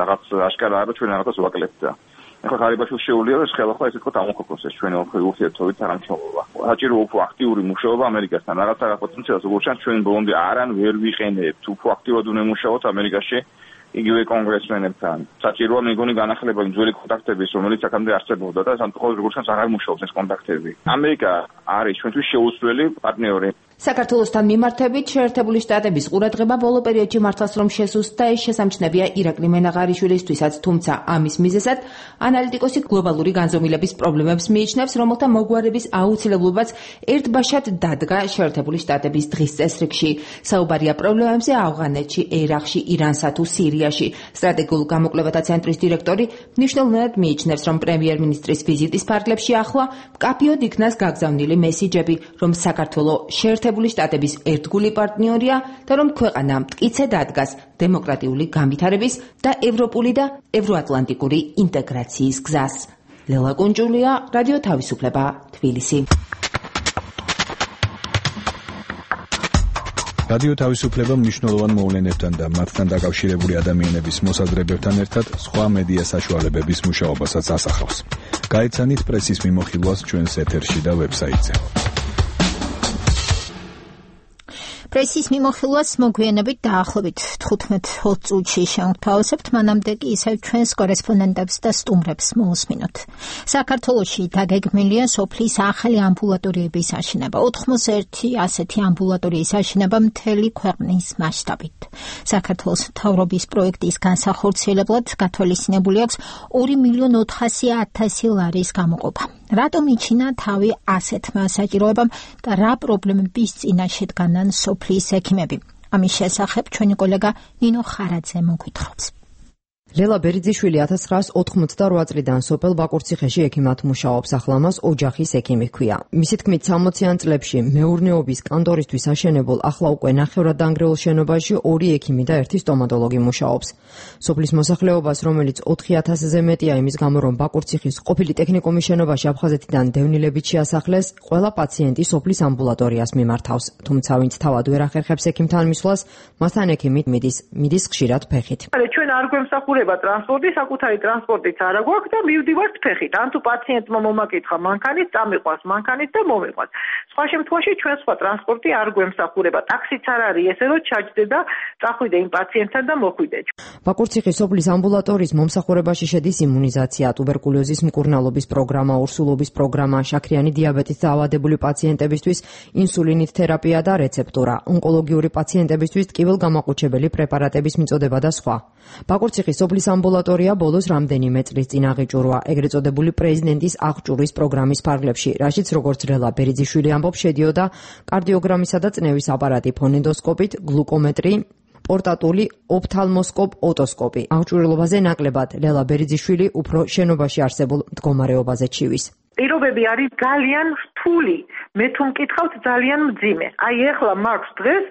რაღაც აშკარაა, რომ ჩვენ რაღაცას ვაკლებთ და ახლა ღარიბაშვილს შეუძლია ეს ხელახლა ესე თქო ამოქოქოს ეს ჩვენი ურთიერთობით თანამშრომლობა. საჭირო უფრო აქტიური მუშაობა ამერიკასთან. რაღაცა პოტენციალს როგორც ჩანს ჩვენ ბოლომდე არან ვერ ვიყენებთ. უფრო აქტიურად უნდა მუშაოთ ამერიკაში იგივე კონგრესმენებთან. საჭიროა მეგონი განახლება იმ ძველი კონტაქტების, რომელიც აქამდე არსებობდა და სამწუხაროდ როგორც ჩანს აღარ მუშაობს ეს კონტაქტები. ამერიკა არის ჩვენთვის შეუცვლელი პარტნიორი. საქართველოსთან მიმართებით შეერთებული შტატების ყურადღება ბოლო პერიოდში მართლაც რომ შესუსტდა, ეს შესამჩნევია ირაკლი მენაღარიშვილისთვისაც, თუმცა ამის მიზეზად ანალიტიკოსი გლობალური განზომილების პრობლემებს მიიჩნევს, რომელთა მოგვარების აუცილებლობაც ერთბაშად დადგა შეერთებული შტატების დღის წესრიგში. საუბარია პრობლემებზე ავღანეთში, ერაყში, ირანსა თუ სირიაში. სტრატეგიულ გამოკვლევათა ცენტრის დირექტორი მნიშვნელოვნად მიიჩნევს, რომ პრემიერ-მინისტრის ვიზიტის ფარგლებში ახლა მკაფიოდ იქნას გაგზავნილი მესიჯები, რომ საქართველო შეერთებული შეერთებული შტატების ერთგული პარტნიორია და რომ ქვეყანა მტკიცედ ადგას დემოკრატიული განვითარების და ევროპული და ევროატლანტიკური ინტეგრაციის გზას. ლელა კუნჯულია, რადიო თავისუფლება, თბილისი. რადიო თავისუფლება მნიშვნელოვან მოვლენებთან და მათთან დაკავშირებული ადამიანების მოსაზრებებთან ერთად სხვა მედია საშუალებების მუშაობასაც ასახავს. გაეცანით პრესის მიმოხილვას ჩვენს ეთერში და ვებსაიტზე. პრესის მიმოხილვას მოგვიანებით დაახლოებით თხუთმეტ ოცი წუთში შევთავაზებთ, მანამდე კი ისევ ჩვენს კორესპონდენტებს და სტუმრებს მოусმინოთ. საქართველოში დაგეგმილია სოფლის ახალი ამბულატორიების აშენება. ოთხმოცდაერთი ასეთი ამბულატორიის აშენება მთელი ქვეყნის მასშტაბით. საქართველოს მთავრობის პროექტის განსახორციელებლად გათვალისწინებული აქვს ორი მილიონი ოთხასი ათასი ლარის გამოყოფა. რატომ იჩინა თავი ასეთმა საჭიროებამ და რა პრობლემების წინაშე დგანან სოფლის ექიმები? ამის შესახებ ჩვენი კოლეგა ნინო ხარაძე მოგვითხრობს. ლელა ბერიძიშვილი ათას ცხრაას ოთხმოცდარვა წლიდან სოფელ ბაკურციხეში ექიმად მუშაობს, ახლა მას ოჯახის ექიმი ჰქვია. მისი თქმით, სამოციან წლებში მეურნეობის კანტორისთვის აშენებულ ახლა უკვე ნახევრად დანგრეულ შენობაში ორი ექიმი და ერთი სტომატოლოგი მუშაობს. სოფლის მოსახლეობას, რომელიც ოთხი ათასზე მეტია იმის გამო, რომ ბაკურციხის ყოფილი ტექნიკუმის შენობაში აფხაზეთიდან დევნილებით შეასახლეს, ყველა პაციენტი სოფლის ამბულატორიას მიმართავს. თუმცა ვინც თავად ვერ ახერხებს ექიმთან მისვლას, მასთან ექიმი მიდის, მიდის ხშირად ფეხით. ჩვენ არ გვემსახურება ტრანსპორტი, საკუთარი ტრანსპორტიც არ აქვს და მივდივართ ფეხით. ან თუ პაციენტმა მომაკითხა მანქანით, წამიყვანს მანქანით და მომიყვანს. სხვა შემთხვევაში ჩვენ სხვა ტრანსპორტი არ გვემსახურება. ტაქსიც არ არის ესე, რომ ჩაჯდე და წახვიდე იმ პაციენტთან და მოხვიდე. ბაკურციხის სოფლის ამბულატორიის მომსახურებაში შედის იმუნიზაცია, ტუბერკულოზის მკურნალობის პროგრამა, ორსულობის პროგრამა, შაქრიანი დიაბეტით დაავადებული პაციენტებისთვის ინსულინით თერაპია და რეცეპტურა, ონკოლოგიური პაციენტებისთვის ტკივილგამაყუჩებელი პრეპარატების მიწოდება და სხვა. ბაკურციხის სოფლის ამბულატორია ბოლოს რამდენიმე წლის წინ აღიჭურვა ეგრეთ წოდებული პრეზიდენტის აღჭურვის პროგრამის ფარგლებში, რაშიც როგორც ლელა ბერიძიშვილი ამბობს, შედიოდა კარდიოგრამისა და წნევის აპარატი, ფონენდოსკოპით, გლუკომეტრი, პორტატული ოფთალმოსკოპ-ოტოსკოპი. აღჭურვილობაზე ნაკლებად ლელა ბერიძიშვილი უფრო შენობაში არსებულ მდგომარეობაზე ჩივის. პირობები არის ძალიან რთული, მე თუ მკითხავთ ძალიან მძიმე. აი ეხლა მაქვს დღეს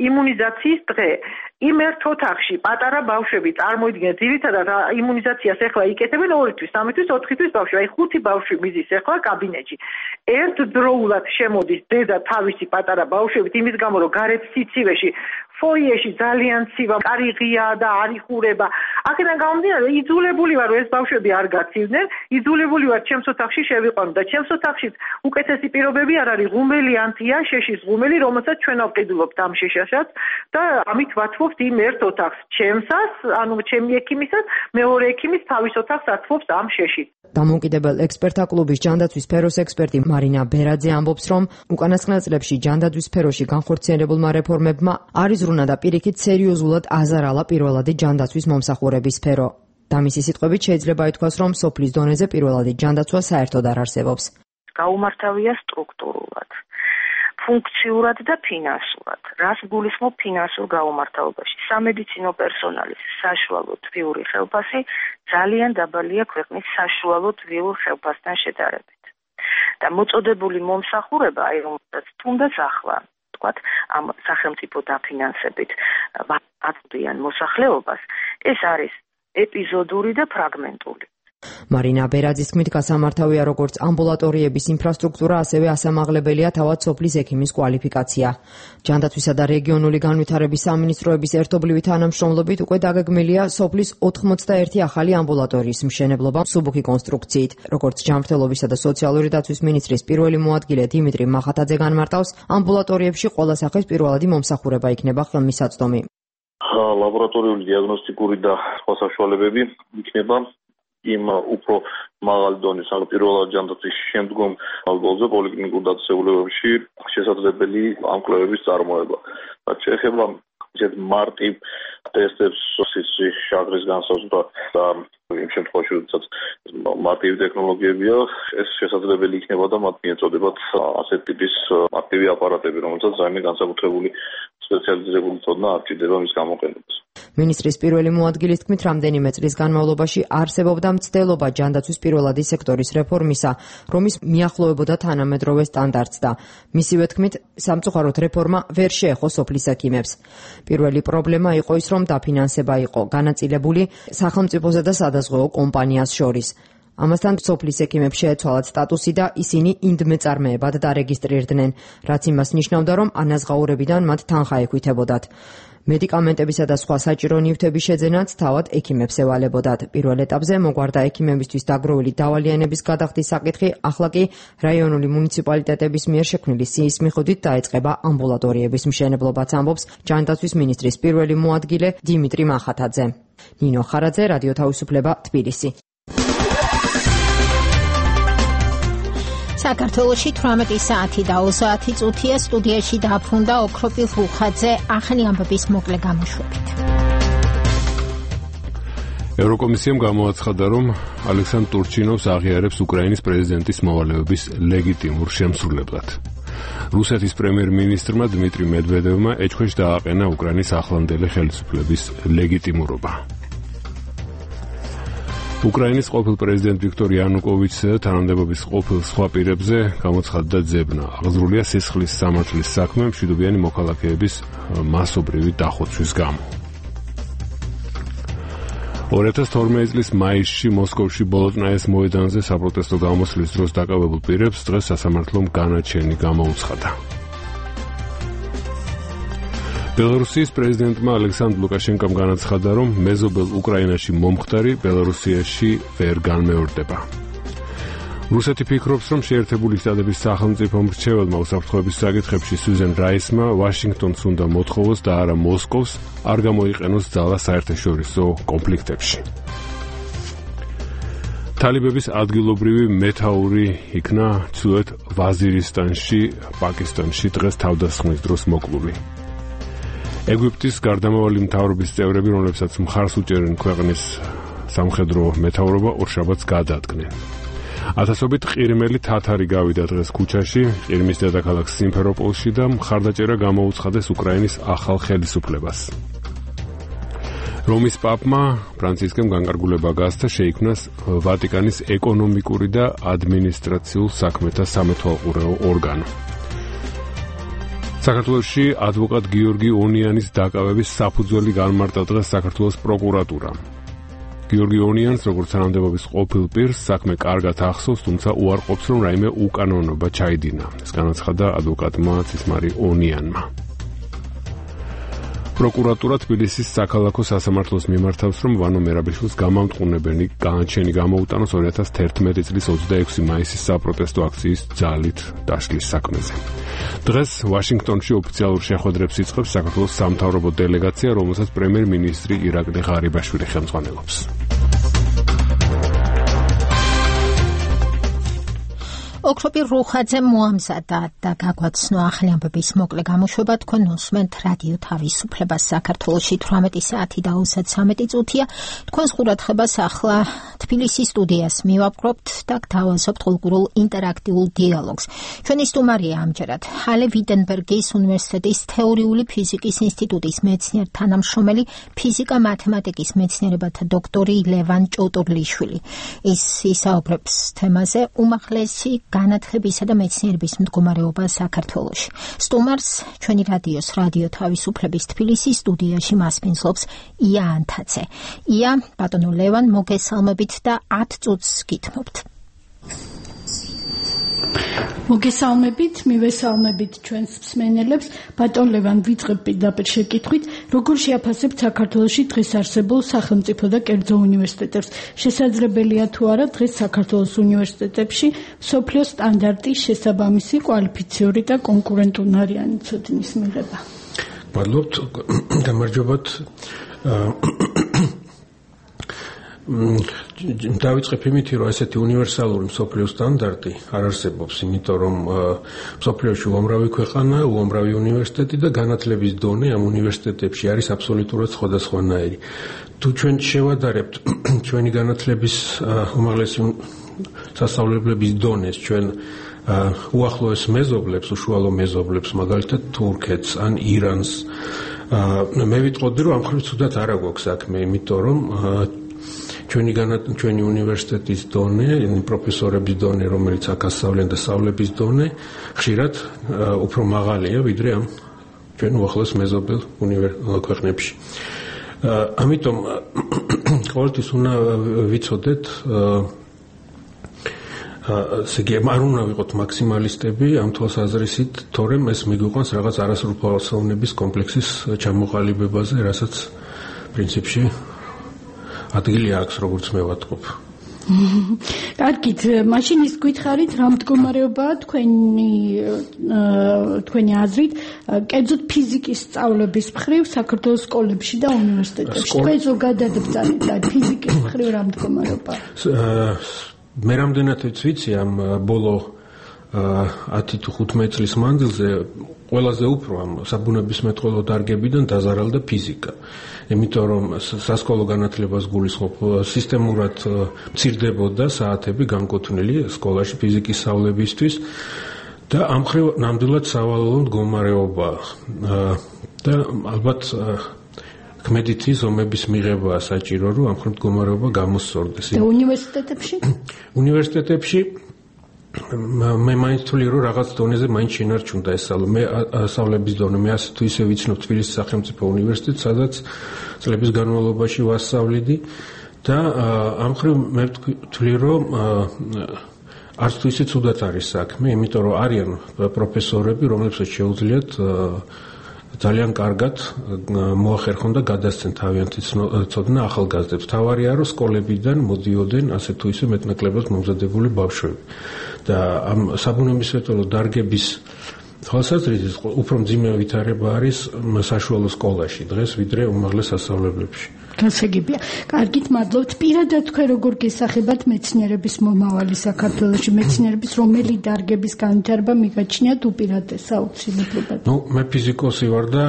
იმუნიზაციის დღე. იმ ერთ ოთახში პატარა ბავშვები წარმოიდგინეთ, ძირითადად იმუნიზაციას ეხლა იკეთებენ ორი თვის, სამი თვის, ოთხი თვის ბავშვი, აი ხუთი ბავშვი მიზის ეხლა კაბინეტში. ერთდროულად შემოდის დედა თავისი პატარა ბავშვებით, იმის გამო რომ გარეთ სიცივეში, ფოიეში ძალიან ცივა, კარი ღია და არ იხურება. აქედან გამომდინარე, იძულებული ვარ ეს ბავშვები არ გაცივდნენ, იძულებული ვარ ჩემს ოთახში შევიყვანო და ჩემს ოთახშიც უკეთესი პირობები არ არის, ღუმელი ანთია, შეშის ღუმელი, რომელსაც ჩვენ ავყიდულობთ ამ შეშაშად და ამით ვათმობთ იმ ერთ ოთახს, ჩემსას, ანუ ჩემი ექიმისას, მეორე ექიმის თავის ოთახს ათმობს ამ შეში. დამოუკიდებელ ექსპერტთა კლუბის ჯანდაცვის სფეროს ექსპერტი მარინა ბერაძე ამბობს, რომ უკანასკნელ წლებში ჯანდაცვის სფეროში განხორციელებულმა რეფორმებმა არის ზრუნა და პირიქით სერიოზულად აზარალა პირველადი ჯანდაცვის მომსახურების სფერო. და მისი სიტყვებით შეიძლება ითქვას, რომ სოფლის დონეზე პირველადი ჯანდაცვა საერთოდ არ არსებობს. გაუმართავია სტრუქტურულად, ფუნქციურად და ფინანსურად. რას გულისხმობ ფინანსურ გაუმართავობაში? სამედიცინო პერსონალის საშუალო თვიური ხელფასი ძალიან დაბალია ქვეყნის საშუალო თვიურ ხელფასთან შედარებით. და მოწოდებული მომსახურება, აი რომელსაც თუნდაც ახლა ვთქვათ, ამ სახელმწიფო დაფინანსებით აწვდიან მოსახლეობას, ეს არის ეპიზოდური და ფრაგმენტული. მარინა ბერაძის თქმით, გასამართავია როგორც ამბულატორიების ინფრასტრუქტურა, ასევე ასამაღლებელია თავად სოფლის ექიმის კვალიფიკაცია. ჯანდაცვისა და რეგიონული განვითარების სამინისტროების ერთობლივი თანამშრომლობით უკვე დაგეგმილია სოფლის ოთხმოცდაერთი ახალი ამბულატორიის მშენებლობა მსუბუქი კონსტრუქციით. როგორც ჯანმრთელობისა და სოციალური დაცვის მინისტრის პირველი მოადგილე დიმიტრი მახათაძე განმარტავს, ამბულატორიებში ყველა სახის პირველადი მომსახურება იქნება ხელმისაწვდომი. ლაბორატორიული, დიაგნოსტიკური და სხვა საშუალებები იქნება იმ უფრო მაღალი დონის, ანუ პირველად ჯანდაცვის შემდგომ ალბოლზე პოლიკლინიკურ დაწესებულებებში შესაძლებელი ამ კვლევების წარმოება. რაც შეეხება ისეთ მარტივ ტესტებს, სისხლის შაქრის განსაზღვრა და იმ შემთხვევაში, როდესაც მარტივი ტექნოლოგიებია, ეს შესაძლებელი იქნება და მათ მიეწოდებათ ასეთ ტიპის მარტივი აპარატები, რომელსაც ძალიან განსაკუთრებული სპეციალიზებული ცოდნა არ ჭირდება მის გამოყენებას. მინისტრის პირველი მოადგილის თქმით, რამდენიმე წლის განმავლობაში არსებობდა მცდელობა ჯანდაცვის პირველადი სექტორის რეფორმისა, რომის მიახლოვებოდა თანამედროვე სტანდარტს და მისივე თქმით, სამწუხაროდ რეფორმა ვერ შეეხო სოფლის ექიმებს. პირველი პრობლემა იყო ის, რომ დაფინანსება იყო განაწილებული სახელმწიფოსა და სადაზღვეო კომპანიას შორის. ამასთან სოფლის ექიმებს შეეცვალათ სტატუსი და ისინი ინდმეწარმეებად დარეგისტრირდნენ, რაც იმას ნიშნავდა, რომ ანაზღაურებიდან მათ თანხა ეკვითებოდათ. მედიკამენტებისა და სხვა საჭირო ნივთების შეძენაც თავად ექიმებს ევალებოდათ. პირველ ეტაპზე მოგვარდა ექიმებისთვის დაგროვილი დავალიანების გადახდის საკითხი, ახლა კი რაიონული მუნიციპალიტეტების მიერ შექმნილი სიის მიხედვით დაეწყება ამბულატორიების მშენებლობაც, ამბობს ჯანდაცვის მინისტრის პირველი მოადგილე დიმიტრი მახათაძე. ნინო ხარაძე, რადიო თავისუფლება, თბილისი. საქართველოში თვრამეტი საათი და ოცდაათი წუთია, სტუდიაში დაბრუნდა ოქროპი რუხაძე, ახალი ამბების მოკლე გამოშვებით. ევროკომისიამ გამოაცხადა, რომ ალექსანდრ ტურჩინოვს აღიარებს უკრაინის პრეზიდენტის მოვალეობის ლეგიტიმურ შემსრულებლად. რუსეთის პრემიერ-მინისტრმა დმიტრი მედვედევმა ეჭქვეშ დააყენა უკრაინის ახლანდელი ხელისუფლების ლეგიტიმურობა. უკრაინის ყოფილ პრეზიდენტ ვიქტორ იანუკოვიჩსა და თანამდებობის ყოფილ სხვა პირებზე გამოცხადდა ძებნა. აღძრულია სისხლის სამართლის საქმე მშვიდობიანი მოქალაქეების მასობრივი დახოცვის გამო. ორი ათას თორმეტი წლის მაისში მოსკოვში ბოლოტნაის მოედანზე საპროტესტო გამოსვლის დროს დაკავებულ პირებს დღეს სასამართლომ განაჩენი გამოუცხადა. ბელარუსიის პრეზიდენტმა ალექსანდრ ლუკაშენკომ განაცხადა, რომ მეზობელ უკრაინაში მომხდარი ბელარუსიაში ვერ განმეორდება. რუსეთი ფიქრობს, რომ შეერთებული შტატების სახელმწიფო მრჩეველმა უსაფრთხოების საკითხებში სუზან რაისმა ვაშინგტონს უნდა მოთხოვოს და არა მოსკოვს არ გამოიყენოს ძალა საერთაშორისო კონფლიქტებში. თალიბების ადგილობრივი მეთაური იქნა ცუეთ ვაზირისტანში, პაკისტანში დღეს თავდასხმის დროს მოკლული. ეგვიპტის გარდამავალი მთავრობის წევრები, რომლებსაც მხარს უჭერენ ქვეყნის სამხედრო მეთაურობა, ორშაბათს გადაადგნენ. ათასობით ყირიმელი თათარი გავიდა დღეს ქუჩაში, ყირიმის დედაქალაქ სიმფეროპოლში და მხარდაჭერა გამოუცხადეს უკრაინის ახალ ხელისუფლებას. რომის პაპმა ფრანცისკემ განკარგულება გასცა, შეიქმნას ვატიკანის ეკონომიკური და ადმინისტრაციულ საქმეთა სამეთვალყურეო ორგანო. საქართველოში ადვოკატ გიორგი ონიანის დაკავების საფუძველი განმარტა დღეს საქართველოს პროკურატურა. გიორგი ონიანს, როგორც თანამდებობის ყოფილ პირს, საქმე კარგად ახსოვს, თუმცა უარყოფს, რომ რაიმე უკანონობა ჩაიდინა. ეს განაცხადა ადვოკატმა ცისმარი ონიანმა. პროკურატურა თბილისის საქალაქო სასამართლოს მიმართავს, რომ ვანო მერაბიშვილს გამამტყუნებელი განაჩენი გამოუტანოს ორი ათას თერთმეტი წლის ოცდაექვსი მაისის საპროტესტო აქციის ძალით დაშლის საქმეზე. დღეს ვაშინგტონში ოფიციალურ შეხვედრებს იწყებს საქართველოს სამთავრობო დელეგაცია, რომელსაც პრემიერ-მინისტრი ირაკლი ღარიბაშვილი ხელმძღვანელობს. ოქროპი რუხაძე მოამზადა და გაგვაცნო ახალი ამბების მოკლე გამოშვება. თქვენ უსმენთ რადიო თავისუფლებას. საქართველოში თვრამეტი საათი და ოცდათრამეტი წუთია. თქვენს ყურადღებას ახლა თბილისის სტუდიას მივაპყრობთ და გთავაზობთ კულტურულ ინტერაქტიულ დიალოგს. ჩვენი სტუმარია ამჯერად ჰალე ვიტენბერგის უნივერსიტეტის თეორიული ფიზიკის ინსტიტუტის მეცნიერ თანამშრომელი, ფიზიკა-მათემატიკის მეცნიერებათა დოქტორი ლევან ჭოუტურლიშვილი. ის ისაუბრებს თემაზე უმაღლესი განათლებისა და მეცნიერების მდგომარეობა საქართველოში. სტუმარს ჩვენი რადიოს რადიო თავისუფლების თბილისის სტუდიაში მასპინძლობს ია ანთაძე. ია, ბატონო ლევან, მოგესალმებით და ათ წუთს გითმობთ. მოგესალმებით, მივესალმებით ჩვენს მსმენელებს. ბატონ ლევან, ვიწყებ პირდაპირ შეკითხვით, როგორ შეაფასებთ საქართველოში დღეს არსებულ სახელმწიფო და კერძო უნივერსიტეტებს? შესაძლებელია თუ არა დღეს საქართველოს უნივერსიტეტებში მსოფლიო სტანდარტის შესაბამისი კვალიფიციური და კონკურენტუნარიანი ცოდნის მიღება? მადლობთ, გამარჯობათ. დავიწყებ იმით, რომ ესეთი უნივერსალური მსოფლიო სტანდარტი არ არსებობს, იმიტომ რომ მსოფლიოში უამრავი ქვეყანა, უამრავი უნივერსიტეტი და განათლების დონე ამ უნივერსიტეტებში არის აბსოლუტურად სხვადასხვანაირი. თუ ჩვენ შევადარებთ ჩვენი განათლების უმაღლესი სასწავლებლების დონეს, ჩვენ უახლოეს მეზობლებს, უშუალო მეზობლებს, მაგალითად თურქეთს ან ირანს, აა მე ვიტყოდი რომ ამ ხრივ თუდად არ აგვაქვს საქმე, იმიტომ რომ ჩვენი ჩვენი უნივერსიტეტის დონე, პროფესორების დონე, რომელიც აქ ასწავლიან და სწავლების დონე, ხშირად უფრო მაღალია ვიდრე ამ ჩვენ უახლოეს მეზობელ ქვეყნებში. ამიტომ ყოველთვის უნდა ვიცოდეთ ასე იგი არ უნდა ვიყოთ მაქსიმალისტები ამ თვალსაზრისით, თორემ ეს მიგვიყვანს რაღაც არასრულფასოვნების კომპლექსის ჩამოყალიბებაზე, რასაც პრინციპში ადგილი აქვს, როგორც მე ვატყობ. კარგით, მაშინ ის გითხარით, რა მდგომარეობაა თქვენი თქვენი აზრით, კერძოდ ფიზიკის სწავლების მხრივ საქართველოს სკოლებში და უნივერსიტეტებში. თქვენ ზოგადად ბრძანეთ ფიზიკის მხრივ რა მდგომარეობაა? მე რამდენად ვიცი ამ ბოლო ათი თუ ხუთმეტ წლის მანძილზე ყველაზე უფრო ამ საბუნებისმეტყველო დარგებიდან დაზარალდა ფიზიკა. იმიტომ რომ სასკოლო განათლებას გულისხმობ სისტემურად მცირდებოდა საათები განკუთვნილი სკოლაში ფიზიკის სწავლებისთვის და ამ მხრივ ნამდვილად სავალალო მდგომარეობა და ალბათ ქმედითი ზომების მიღებაა საჭირო, რომ ამ მხრივ მდგომარეობა გამოსწორდეს. და უნივერსიტეტებში? უნივერსიტეტებში მე მაინც თვლი რომ რაღაც დონეზე მაინც შენარჩუნდა ეს მე სწავლების დონე მე ასე თუ ისე ვიცნობ თბილისის სახელმწიფო უნივერსიტეტს, სადაც წლების განმავლობაში ვასწავლიდი და ამ მხრივ მე ვთვლი რომ არც თუ ისე ცუდად არის საქმე, იმიტომ რომ არიან პროფესორები, რომლებსაც შეუძლიათ ძალიან კარგად მოახერხონ და გადასცენ თავიანთი ცოდნა ახალგაზრდებს. თავარია რომ სკოლებიდან მოდიოდნენ ასე თუ ისე მეტნაკლებად მომზადებული ბავშვები. და ამ საბუნებისმეტყველო დარგების თვალსაზრისით უფრო მძიმე ვითარება არის საშუალო სკოლაში დღეს, ვიდრე უმაღლეს სასწავლებლებში. გასაგებია. კარგით, მადლობთ. პირადად თქვენ როგორ გესახებათ მეცნიერების მომავალი საქართველოში, მეცნიერების რომელი დარგების განვითარება მიგაჩნიათ უპირატეს აუცილებლად? ნუ მე ფიზიკოსი ვარ და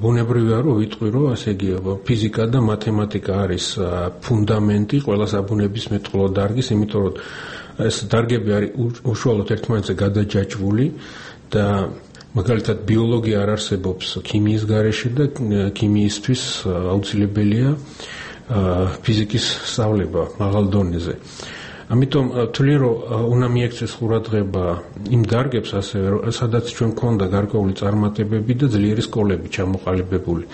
ბუნებრივია რომ ვიტყვი რომ ასე იგი ფიზიკა და მათემატიკა არის ფუნდამენტი ყველა საბუნებისმეტყველო დარგის, იმიტომ რომ ეს დარგები არის უშუალოდ ერთმანეთზე გადაჯაჭვული და მაგალითად ბიოლოგია არ არსებობს ქიმიის გარეშე და ქიმიისთვის აუცილებელია ფიზიკის სწავლება მაღალ დონეზე. ამიტომ ვთვლი რომ უნდა მიექცეს ყურადღება იმ დარგებს ასევე სადაც ჩვენ გვქონდა გარკვეული წარმატებები და ძლიერი სკოლები ჩამოყალიბებული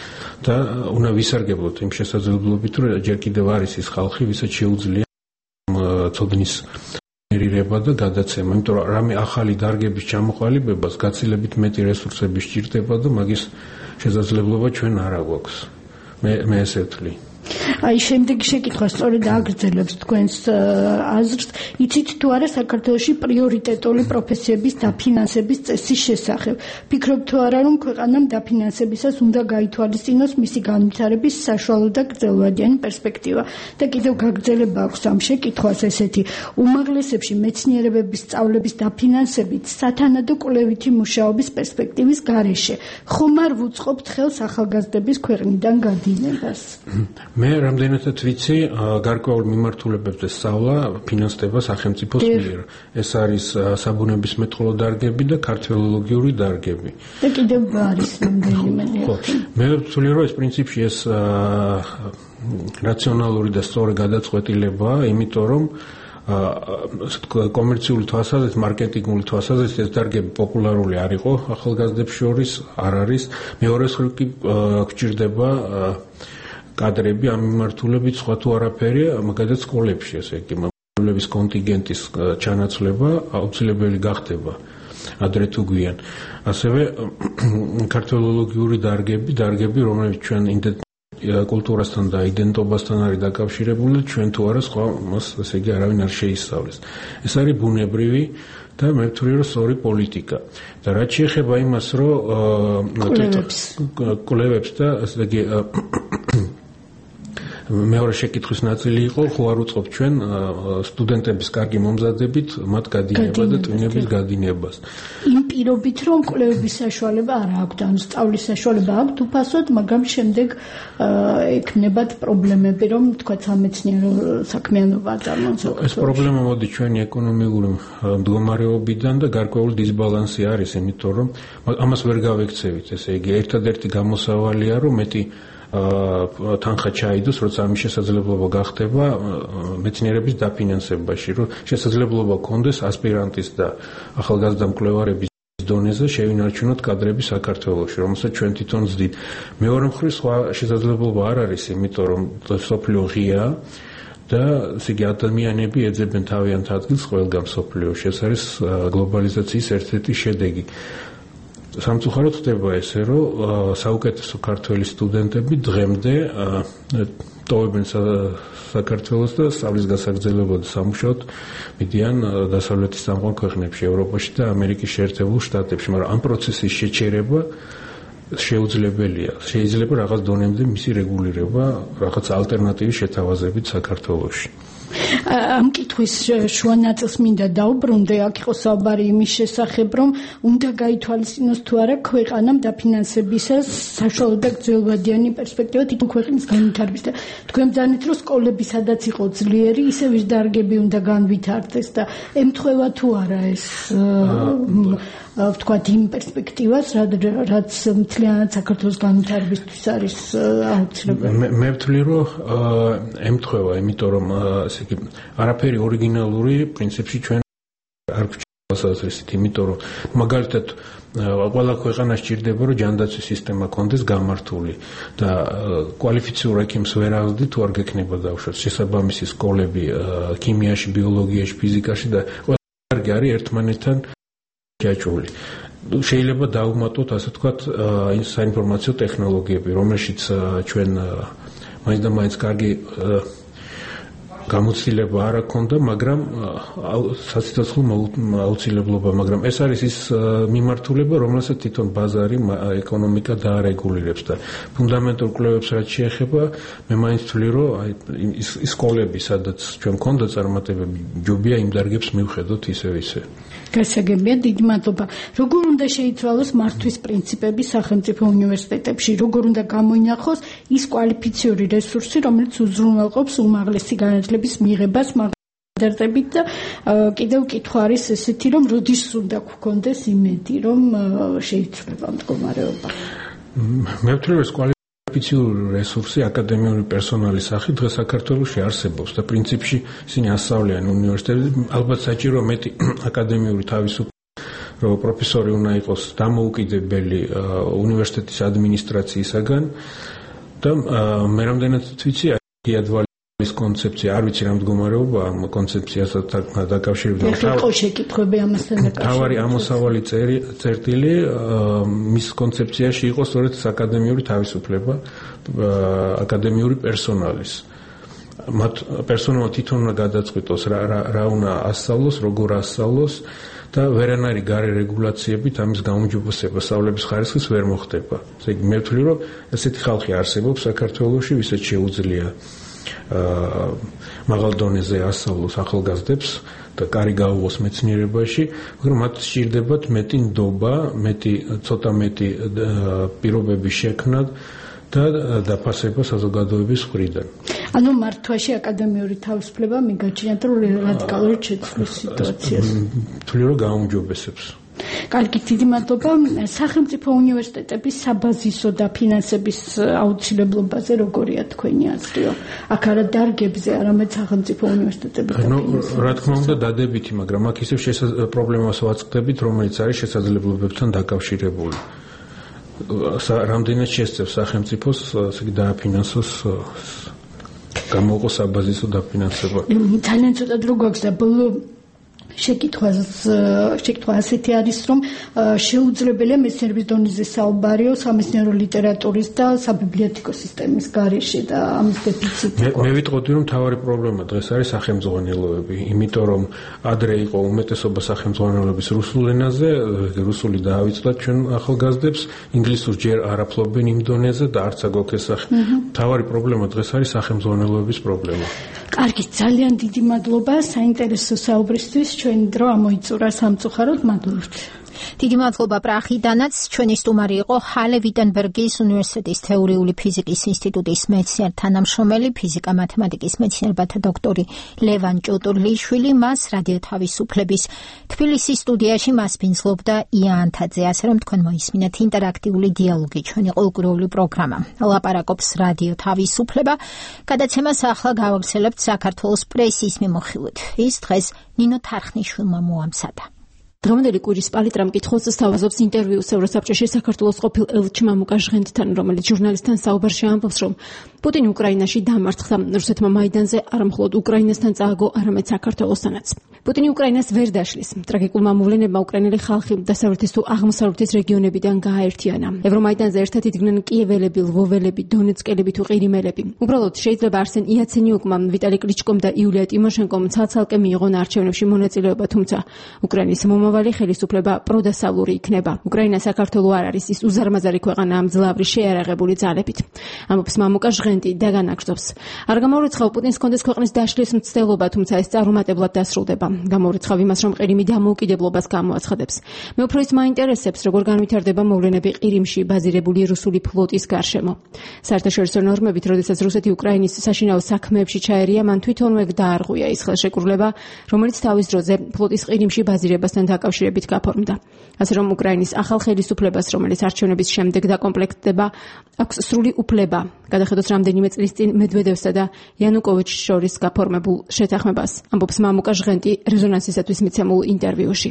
და უნდა ვისარგებლოთ იმ შესაძლებლობით რომ ჯერ კიდევ არის ის ხალხი ვისაც შეუძლია ცოდნის ერირება და გადაცემა, იმიტომ რომ რამე ახალი დარგების ჩამოყალიბებას გაცილებით მეტი რესურსები სჭირდება და მაგის შესაძლებლობა ჩვენ არ აგვაქვს. მე მე ესე ვთვლი. აი შემდეგი შეკითხვა სწორედ აგრძელებს თქვენს აზრს. იცით თუ არა საქართველოში პრიორიტეტული პროფესიების დაფინანსების წესის შესახებ? ფიქრობთ თუ არა რომ ქვეყანამ დაფინანსებისას უნდა გაითვალისწინოს მისი განვითარების საშუალო და გრძელვადიანი პერსპექტივა? და კიდევ გაგრძელება აქვს ამ შეკითხვას ესეთი: უმაღლესებში მეცნიერებების სწავლების დაფინანსებით სათანადო კვლევითი მუშაობის პერსპექტივის გარეშე ხომ არ ვუწყობთ ხელს ახალგაზრდების ქვეყნიდან გადინებას? მე რამდენადაც ვიცი, გარკვეულ მიმართულებებზე სწავლა ფინანსდება სახელმწიფოს მიერ. ეს არის საბუნებისმეტყველო დარგები და ქართველოლოგიური დარგები. და კიდევ არის რამდენიმე. მე ვთვლი რომ ეს პრინციპში ეს რაციონალური და სწორი გადაწყვეტილებაა, იმიტომ რომ კომერციული თვალსაზრისით, მარკეტინგული თვალსაზრისით ეს დარგები პოპულარული არ იყო ახალგაზრდებს შორის, არ არის. მეორე მხრივ კი გვჭირდება კადრები ამ მიმართულებით, სხვა თუ არაფერია, მაგალითად სკოლებში, ესე იგი, მასწავლებლების კონტინგენტის ჩანაცვლება აუცილებელი გახდება ადრე თუ გვიან. ასევე ქართველოლოგიური დარგები, დარგები, რომლებიც ჩვენ კულტურასთან და იდენტობასთან არის დაკავშირებული, ჩვენ თუ არა სხვა მას, ესე იგი, არავინ არ შეისწავლის. ეს არის ბუნებრივი და მე ვთვლი რომ სწორი პოლიტიკა. და რაც შეეხება იმას, რომ კვლევებს და ესე იგი მეორე შეკითხვის ნაწილი იყო, ხო არ უწყობთ ჩვენ სტუდენტების კარგი მომზადებით მათ გადინება და ტვინების გადინებას. იმ პირობით, რომ კვლევების საშუალება არ აქვთ, ანუ სწავლის საშუალება აქვთ უფასოდ, მაგრამ შემდეგ ექნებათ პრობლემები, რომ თქვა სამეცნიერო საქმიანობა აწარმოოს. ეს პრობლემა მოდი ჩვენი ეკონომიკური მდგომარეობიდან და გარკვეული დისბალანსი არის, იმიტომ რომ ამას ვერ გავექცევით, ესე იგი ერთადერთი გამოსავალია, რომ მეტი თანხა ჩაიდოს, როცა ამის შესაძლებლობა გახდება მეცნიერების დაფინანსებაში, რომ შესაძლებლობა გქონდეს ასპირანტის და ახალგაზრდა მკვლევარების დონეზე შევინარჩუნოთ კადრები საქართველოში, რომელსაც ჩვენ თვითონ ვზდით. მეორე მხრივ სხვა შესაძლებლობა არ არის, იმიტომ რომ სოფლიო ღიაა და ესე იგი ადამიანები ეძებენ თავიანთ ადგილს ყველგან სოფლიოში. ეს არის გლობალიზაციის ერთ-ერთი შედეგი. სამწუხაროდ ხდება ესე, რომ საუკეთესო ქართველი სტუდენტები დღემდე ტოვებენ საქართველოს და სწავლის გასაგრძელებად სამუშაოდ მიდიან დასავლეთის წამყვან ქვეყნებში, ევროპაში და ამერიკის შეერთებულ შტატებში, მაგრამ ამ პროცესის შეჩერება შეუძლებელია. შეიძლება რაღაც დონემდე მისი რეგულირება, რაღაც ალტერნატივის შეთავაზებით საქართველოში. ამ კითხვის შუა ნაწილს მინდა დაუბრუნდე, აქ იყო საუბარი იმის შესახებ, რომ უნდა გაითვალისწინოს თუ არა ქვეყანამ დაფინანსებისას საშუალება გრძელვადიანი პერსპექტივა თვითონ ქვეყნის განვითარების და თქვენ ბრძანეთ, რომ სკოლები სადაც იყო ძლიერი, ისევ ის დარგები უნდა განვითარდეს და ემთხვევა თუ არა ეს ვთქვათ იმ პერსპექტივას, რაც მთლიანად საქართველოს განვითარებისთვის არის აუცილებელი. მე ვთვლი, რომ ემთხვევა, იმიტომ რომ ესე იგი არაფერი ორიგინალური პრინციპში ჩვენ არ გვჭირდება, იმიტომ რომ მაგალითად ყველა ქვეყანა სჭირდება, რომ ჯანდაცვის სისტემა კონდეს გამართული და კვალიფიციურ ექიმს ვერ აღზრდი თუ არ გექნება დავუშვათ შესაბამისი სკოლები ქიმიაში, ბიოლოგიაში, ფიზიკაში და ყველა კარგი არის ერთმანეთთან ჯაჭვული. შეიძლება დავუმატოთ, ასე ვთქვათ, საინფორმაციო ტექნოლოგიები, რომელშიც ჩვენ მაინც და მაინც კარგი გამოცდილება არ აქვს, მაგრამ სასიცოცხლო აუცილებლობა, მაგრამ ეს არის ის მიმართულება, რომელსაც თვითონ ბაზარი ეკონომიკა დაარეგულირებს და ფუნდამენტურ კვლევებს რაც შეეხება, მე მაინც ვთვლი, რომ ის სკოლები, სადაც ჩვენ გქონდა წარმატებები, ჯობია იმ დარგებს მივხედოთ ისევ ისე. გასაგებია, დიდი მადლობა. როგორ უნდა შეიცვალოს მართვის პრინციპები სახელმწიფო უნივერსიტეტებში, როგორ უნდა გამოინახოს ის კვალიფიციური რესურსი, რომელიც უზრუნველყოფს უმაღლესი განათლების მიღებას მაგდარტებით და კიდევ კითხვა არის ესეთი, რომ როდის უნდა გქონდეს იმედი, რომ შეიცვლება მდგომარეობა. მე ვთვლი, რომ კვალიფიციური რესურსი აკადემიური პერსონალის სახით დღეს საქართველოში არსებობს და პრინციპში ისინი ასწავლიან უნივერსიტეტებში, ალბათ საჭირო მეტი აკადემიური თავისუფლება, რომ პროფესორი უნდა იყოს დამოუკიდებელი უნივერსიტეტის ადმინისტრაციისაგან და მე რამდენადაც ვიცი, იადვალის კონცეფცია, არ ვიცი რა მდგომარეობა ამ კონცეფციასთან დაკავშირებით. ხო, შეკითხვები ამასთან დაკავშირებით. თავარი ამოსავალი წერტილი მის კონცეფციაში იყო სწორედ აკადემიური თავისუფლება აკადემიური პერსონალის. მათ პერსონალმა თვითონ უნდა გადაწყვიტოს რა რა უნდა ასწავლოს, როგორ ასწავლოს და ვერანაირი გარე რეგულაციებით ამის გაუმჯობესება სწავლების ხარისხის ვერ მოხდება. ესე იგი მე ვთვლი, რომ ესეთი ხალხი არსებობს საქართველოში, ვისაც შეუძლია მაღალ დონეზე ასწავლოს ახალგაზრდებს და კარი გაუღოს მეცნიერებაში, მაგრამ მათ სჭირდებათ მეტი ნდობა, მეტი ცოტა მეტი პირობების შექმნა და დაფასება საზოგადოების მხრიდან. ანუ მართვაში აკადემიური თავისუფლება მიგაჩნიათ, რომ რადიკალურად შეცვლის სიტუაციას. ვთვლი, რომ გაუმჯობესებს. კარგი, დიდი მადლობა. სახელმწიფო უნივერსიტეტების საბაზისო და ფინანსების აუცილებლობაზე როგორია თქვენი აზრიო? აქ არა დარგებზე, არამედ სახელმწიფო უნივერსიტეტების. ნუ რა თქმა უნდა დადებითი, მაგრამ აქ ისევ პრობლემას ვაწყდებით, რომელიც არის შესაძლებლობებთან დაკავშირებული. რამდენად შესწევს სახელმწიფოს დააფინანსოს გამოყო საბაზისო დაფინანსება. ძალიან ცოტა დრო გვაქვს და ბოლო შეკითხვას შეკითხვა ასეთი არის, რომ შეუძლებელია მეცნიერების დონეზე საუბარიო სამეცნიერო ლიტერატურის და საბიბლიოთეკო სისტემის გარეშე და ამის დეფიციტი. მე ვიტყოდი, რომ მთავარი პრობლემა დღეს არის სახელმძღვანელოები, იმიტომ რომ ადრე იყო უმეტესობა სახელმძღვანელოების რუსულ ენაზე, რუსული დაავიწყდათ ჩვენ ახალგაზრდებს, ინგლისურს ჯერ არაფლობენ იმ დონეზე და არც აგვაქვს ეს სახე. მთავარი პრობლემა დღეს არის სახელმძღვანელოების პრობლემა. კარგი, ძალიან დიდი მადლობა საინტერესო საუბრისთვის. ჩვენ დრო ამოიწურა სამწუხაროდ, მადლობთ. დიდი მადლობა პრაღიდანაც. ჩვენი სტუმარი იყო ჰალე ვიტენბერგის უნივერსიტეტის თეორიული ფიზიკის ინსტიტუტის მეცნიერ თანამშრომელი, ფიზიკა-მათემატიკის მეცნიერებათა დოქტორი ლევან ჭოტურლიშვილი. მას რადიო თავისუფლების თბილისის სტუდიაში მასპინძლობდა ია ანთაძე. ასე რომ თქვენ მოისმინეთ ინტერაქტიული დიალოგი, ჩვენი ყოველკვირეული პროგრამა. ლაპარაკობს რადიო თავისუფლება. გადაცემას ახლა გავაგრძელებთ საქართველოს პრესის მიმოხილვით. ის დღეს ნინო თარხნიშვილმა მოამზადა. დღევანდელი კვირის პალიტრა მკითხველს სთავაზობს ინტერვიუს ევროსაბჭოში საქართველოს ყოფილ ელჩ მამუკა ჟღენტთან, რომელიც ჟურნალისტთან საუბარში ამბობს, რომ პუტინი უკრაინაში დამარცხდა. რუსეთმა მაიდანზე არა მხოლოდ უკრაინასთან წააგო, არამედ საქართველოსთანაც. პუტინი უკრაინას ვერ დაშლის. ტრაგიკულმა მოვლენებმა უკრაინელი ხალხი დასავლეთის თუ აღმოსავლეთის რეგიონებიდან გააერთიანა. ევრომაიდანზე ერთად იდგნენ კიეველები, ლვოველები, დონეცკელები თუ ყირიმელები. უბრალოდ შეიძლება არსენ იაცენიუკმა, ვიტალი კლიჩკომ და იულია ტიმოშენკომ ცალ-ცალკე მიიღონ არჩევნებში მონაწილეობა, თუმცა უკრაინის მომავალი ხელისუფლება პროდასავლური იქნება. უკრაინა საქართველო არ არის ის უზარმაზარი ქვეყანა ამ ძლავრი შეიარაღებული ძალებით. ამბობს მამუკა ჟღენტი და განაგრძობს. არ გამოურიცხავ პუტინს კონდეს ქვეყნის დაშლის მცდელობა, თუმცა ეს წარუმატებლად დასრულდება. გამოურიცხავ იმას, რომ ყირიმი დამოუკიდებლობას გამოაცხადებს. მე უფრო ის მაინტერესებს, როგორ განვითარდება მოვლენები ყირიმში ბაზირებული რუსული ფლოტის გარშემო. საერთაშორისო ნორმებით, როდესაც რუსეთი უკრაინის საშინაო საქმეებში ჩაერია, მან თვითონვე დაარღვია ის ხელშეკრულება, რომელიც თავის დროზე ფლოტის ყირიმში ბაზირებასთან დაკავშირებით გაფორმდა. ასე რომ უკრაინის ახალ ხელისუფლებას, რომელიც არჩევნების შემდეგ დაკომპლექტდება, აქვს სრული უფლება გადახედოს რამდენიმე წლის წინ მედვედევსა და იანუკოვიჩს შორის გაფორმებულ შეთანხმებას, ამბობს მამუკა ჟღენტი რეზონანსისათვის მიცემულ ინტერვიუში.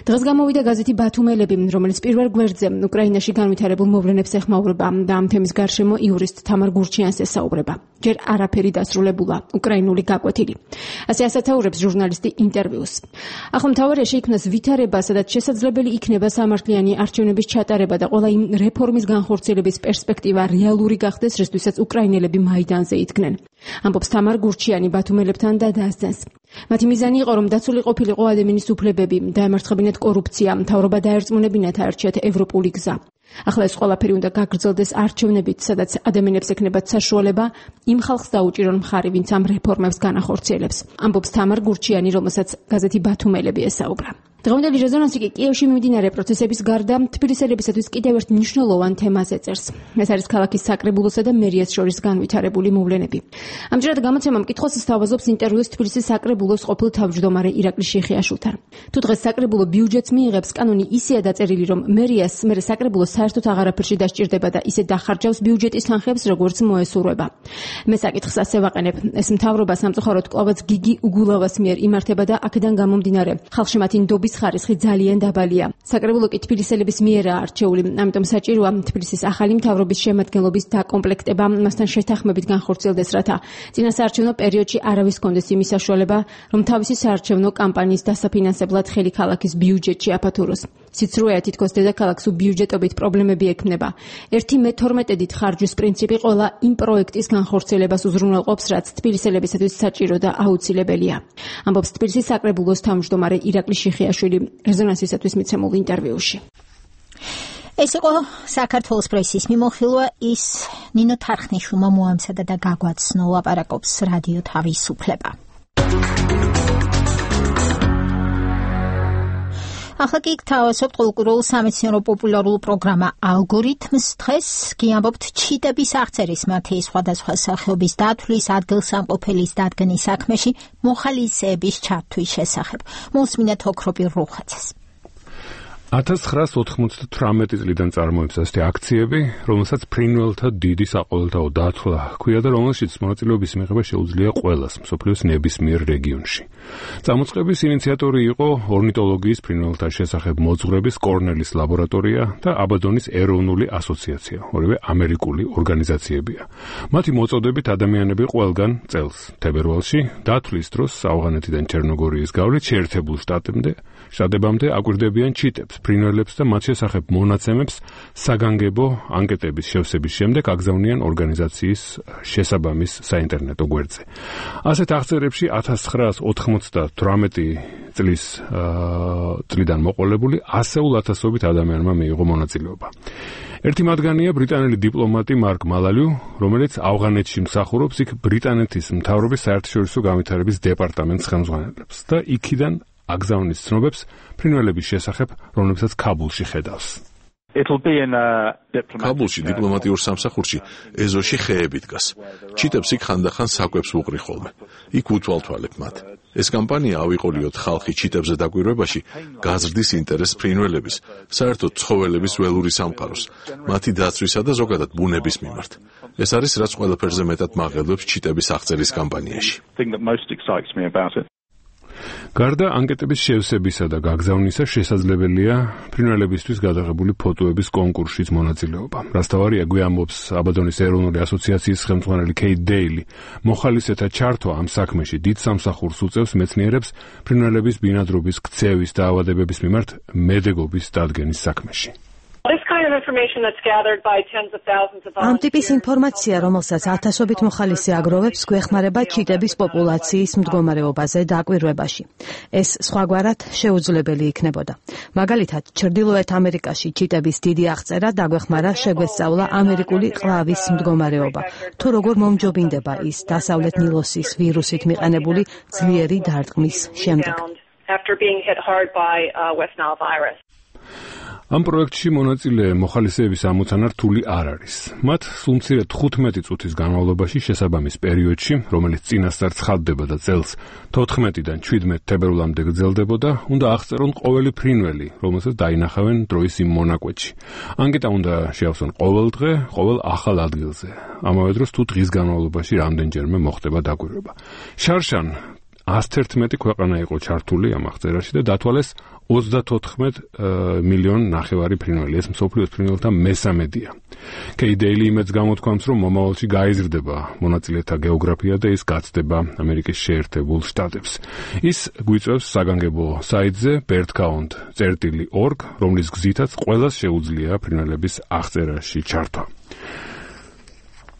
დღეს გამოვიდა გაზეთი ბათუმელები, რომელიც პირველ გვერდზე უკრაინაში განვითარებულ მოვლენებს ეხმაურება და ამ თემის გარშემო იურისტ თამარ გურჩიანს ესაუბრება. ჯერ არაფერი დასრულებულა, უკრაინული გაკვეთილი. ასე ასათაურებს ჟურნალისტი ინტერვიუს. ახლა მთავარია შეიქმნას ვითარება, სადაც შესაძლებელი იქნება სამართლიანი არჩევნების ჩატარება და ყველა იმ რეფორმის განხორციელების პერსპექტივა რეალური გახდეს, რისთვისაც უკრაინელები მაიდანზე იდგნენ. ამბობს თამარ გურჩიანი ბათუმელებთან და დაასწენს. მათი მიზანი იყო, რომ დაცული ყოფილიყო ადამიანის უფლებები, დაემარცხებინათ კორუფცია, მთავრობა დაერწმუნებინათ აერჩიათ ევროპული გზა. ახლა ეს ყველაფერი უნდა გაგრძელდეს არჩევნებით, სადაც ადამიანებს ექნებათ საშუალება იმ ხალხს დაუჭირონ მხარი, ვინც ამ რეფორმებს განახორციელებს. ამბობს თამარ გურჩიანი, რომელსაც გაზეთი ბათუმელები ესაუბრა. დღევანდელი რეზონანსი კი კიევში მიმდინარე პროცესების გარდა თბილისელებისათვის კიდევ ერთ მნიშვნელოვან თემას ეწერს. ეს არის ქალაქის საკრებულოსა და მერიას შორის განვითარებული მოვლენები. ამჯერად გამოცემა მკითხველს სთავაზობს ინტერვიუს თბილისის საკრებულოს ყოფილ თავმჯდომარე ირაკლი შიხიაშვილთან. თუ დღეს საკრებულო ბიუჯეტს მიიღებს, კანონი ისეა დაწერილი, რომ მერიას მერე საკრებულოს საერთოდ აღარაფერში დასჭირდება და ისე დახარჯავს ბიუჯეტის თანხებს, როგორც მოესურვება. მე საკითხს ასე ვაყენებ, ეს მთავრობა სამწუხაროდ კვლავაც გიგი უგულავას მიერ იმართება და აქედან გამომდინარე ხალხში მათი ნდობის ხარისხი ძალიან დაბალია. საკრებულო კი თბილისელების მიერაა არჩეული, ამიტომ საჭიროა თბილისის ახალი მთავრობის შემადგენლობის დაკომპლექტება, მასთან შეთანხმებით განხორციელდეს, რათა წინასაარჩევნო პერიოდში არავის კონდეს იმის საშუალება, რომ თავისი საარჩევნო კამპანიის დასაფინანსებლად ხელი ქალაქის ბიუჯეტში აფათუროს. სიცრუეა თითქოს დედაქალაქს უბიუჯეტობით პრობლემები ექმნება. ერთი მე თორმეტედით ხარჯვის პრინციპი ყველა იმ პროექტის განხორციელებას უზრუნველყოფს, რაც თბილისელებისათვის საჭირო და აუცილებელია. ამბობს თბილისის საკრებულოს თავმჯდომარე ირაკლი შიხიაშვილი რეზონანსისათვის მიცემულ ინტერვიუში. ეს იყო საქართველოს პრესის მიმოხილვა, ის ნინო თარხნიშვილმა მოამზადა და გაგვაცნო, ლაპარაკობს რადიო თავისუფლება. ახლა კი გთავაზობთ ყოველკვირეულ სამეცნიერო პოპულარულ პროგრამა ალგორითმს. დღეს კი ამბობთ ჩიტების აღწერის, მათი სხვადასხვა სახეობის დათვლის, ადგილსამყოფელის დადგენის საქმეში მოხალისეების ჩართვის შესახებ. მოსმინეთ ოქროპირ რუხაძეს. ათას ცხრაას ოთხმოცდათვრამეტი წლიდან წარმოებს ასეთი აქციები, რომელსაც ფრინველთა დიდი საყოველთაო დათვლა ჰქვია და რომელშიც მონაწილეობის მიღება შეუძლია ყველას მსოფლიოს ნებისმიერ რეგიონში. წამოწყების ინიციატორი იყო ორნიტოლოგიის ფრინველთა შესახებ მოძღვრების კორნელის ლაბორატორია და აბადონის ეროვნული ასოციაცია, ორივე ამერიკული ორგანიზაციებია. მათი მოწოდებით ადამიანები ყველგან წელს თებერვალში დათვლის დროს ავღანეთიდან ჩერნოგორიის გავლით შეერთებულ შტატებამდე შტატებამდე აკვირდებიან ჩიტებს, ფრინველებს და მათ შესახებ მონაცემებს საგანგებო ანკეტების შევსების შემდეგ აგზავნიან ორგანიზაციის შესაბამის საინტერნეტო გვერდზე. ასეთ აღწერებში ათას ცხრაას ოთხმოცდათვრამეტი წლის წლიდან მოყოლებული ასეულ ათასობით ადამიანმა მიიღო მონაწილეობა. ერთი მათგანია ბრიტანელი დიპლომატი მარკ მალალიუ, რომელიც ავღანეთში მსახურობს, იქ ბრიტანეთის მთავრობის საერთაშორისო განვითარების დეპარტამენტს ხელმძღვანელობს და იქიდან აგზავნის ცნობებს ფრინველების შესახებ, რომლებსაც ქაბულში ხედავს. ქაბულში დიპლომატიურ სამსახურში ეზოში ხეები დგას. ჩიტებს იქ ხანდახან საკვებს უყრი ხოლმე. იქ უთვალთვალებ მათ. ეს კამპანია ავიყოლიოთ ხალხი ჩიტებზე დაკვირვებაში, გაზრდის ინტერესს ფრინველების, საერთოდ ცხოველების ველური სამყაროს, მათი დაცვისა და ზოგადად ბუნების მიმართ. ეს არის რაც ყველაფერზე მეტად მაღელვებს ჩიტების აღწერის კამპანიაში. გარდა ანკეტების შევსებისა და გაგზავნისა შესაძლებელია ფრინველებისთვის გადაღებული ფოტოების კონკურსშიც მონაწილეობა. რასთავარია გვიამბობს აბადონის ეროვნული ასოციაციის ხელმძღვანელი კეით დეილი. მოხალისეთა ჩართვა ამ საქმეში დიდ სამსახურს უწევს მეცნიერებს ფრინველების ბინადრობის ქცევის და ავადებების მიმართ მედეგობის დადგენის საქმეში. ამ ტიპის ინფორმაცია, რომელსაც ათასობით მოხალისე აგროვებს, გვეხმარება ჩიტების პოპულაციის მდგომარეობაზე დაკვირვებაში. ეს სხვაგვარად შეუძლებელი იქნებოდა. მაგალითად, ჩრდილოეთ ამერიკაში ჩიტების დიდი აღწერა დაგვეხმარა შეგვესწავლა ამერიკული ყლავის მდგომარეობა, თუ როგორ მომჯობინდება ის დასავლეთ ნილოსის ვირუსით მიყენებული ძლიერი დარტყმის შემდეგ. ამ პროექტში მონაწილე მოხალისეების ამოცანა რთული არ არის. მათ სულ მცირე თხუთმეტი წუთის განმავლობაში შესაბამის პერიოდში, რომელიც წინასწარ ცხადდება და წელს თოთხმეტიდან შვიდმეტ თებერვლამდე გრძელდებოდა, უნდა აღწერონ ყოველი ფრინველი, რომელსაც დაინახავენ დროის იმ მონაკვეთში. ანკეტა უნდა შეავსონ ყოველ დღე, ყოველ ახალ ადგილზე. ამავე დროს თუ დღის განმავლობაში რამდენჯერმე მოხდება დაკვირვება. შარშან ათას ერთმეტი ქვეყანა იყო ჩართული ამ აღწერაში და დათვალეს ოცდათოთხმეტ მილიონ ნახევარი ფრინველი. ეს მსოფლიოს ფრინველთა მესამედია. კეით დეილი იმედს გამოთქვამს, რომ მომავალში გაიზრდება მონაწილეთა გეოგრაფია და ის გაცდება ამერიკის შეერთებულ შტატებს. ის გვიწევს საგანგებო საიტზე birdcount წერტილი org, რომლის გზითაც ყველას შეუძლია ფრინველების აღწერაში ჩართვა.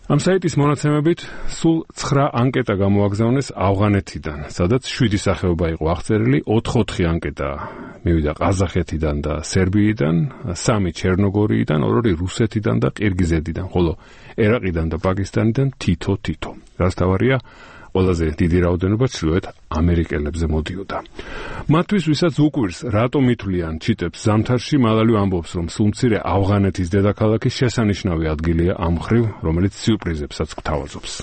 ამ საიტის მონაცემებით სულ ცხრა ანკეტა გამოაგზავნეს ავღანეთიდან, სადაც შვიდი სახეობა იყო აღწერილი, ოთხ-ოთხი ანკეტა მივიდა ყაზახეთიდან და სერბიიდან, სამი ჩერნოგორიიდან, ორი რუსეთიდან და ყირგიზეთიდან, ხოლო ერაყიდან და პაკისტანიდან თითო-თითო. რასთავარია, ყველაზე დიდი რაოდენობა ჩრდილოეთ ამერიკელებზე მოდიოდა. მათთვის, ვისაც უკვირს, რატომ ითვლიან ჩიტებს ზამთარში, მალალიუ ამბობს, რომ სულ მცირე ავღანეთის დედაქალაქი შესანიშნავი ადგილია ამ მხრივ, რომელიც სიურპრიზებსაც გთავაზობს.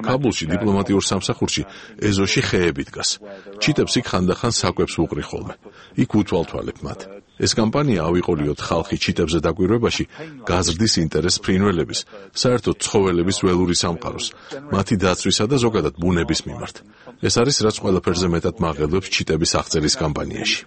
ქაბულში დიპლომატიურ სამსახურში ეზოში ხეები დგას. ჩიტებს იქ ხანდახან საკვებს უყრი ხოლმე. იქ უთვალთვალებ მათ. ეს კამპანია ავიყოლიოთ ხალხი ჩიტებზე დაკვირვებაში, გაზრდის ინტერესს ფრინველების, საერთოდ ცხოველების ველური სამყაროს, მათი დაცვისა და ზოგადად ბუნების მიმართ. ეს არის რაც ყველაფერზე მეტად მაღელვებს ჩიტების აღწერის კამპანიაში.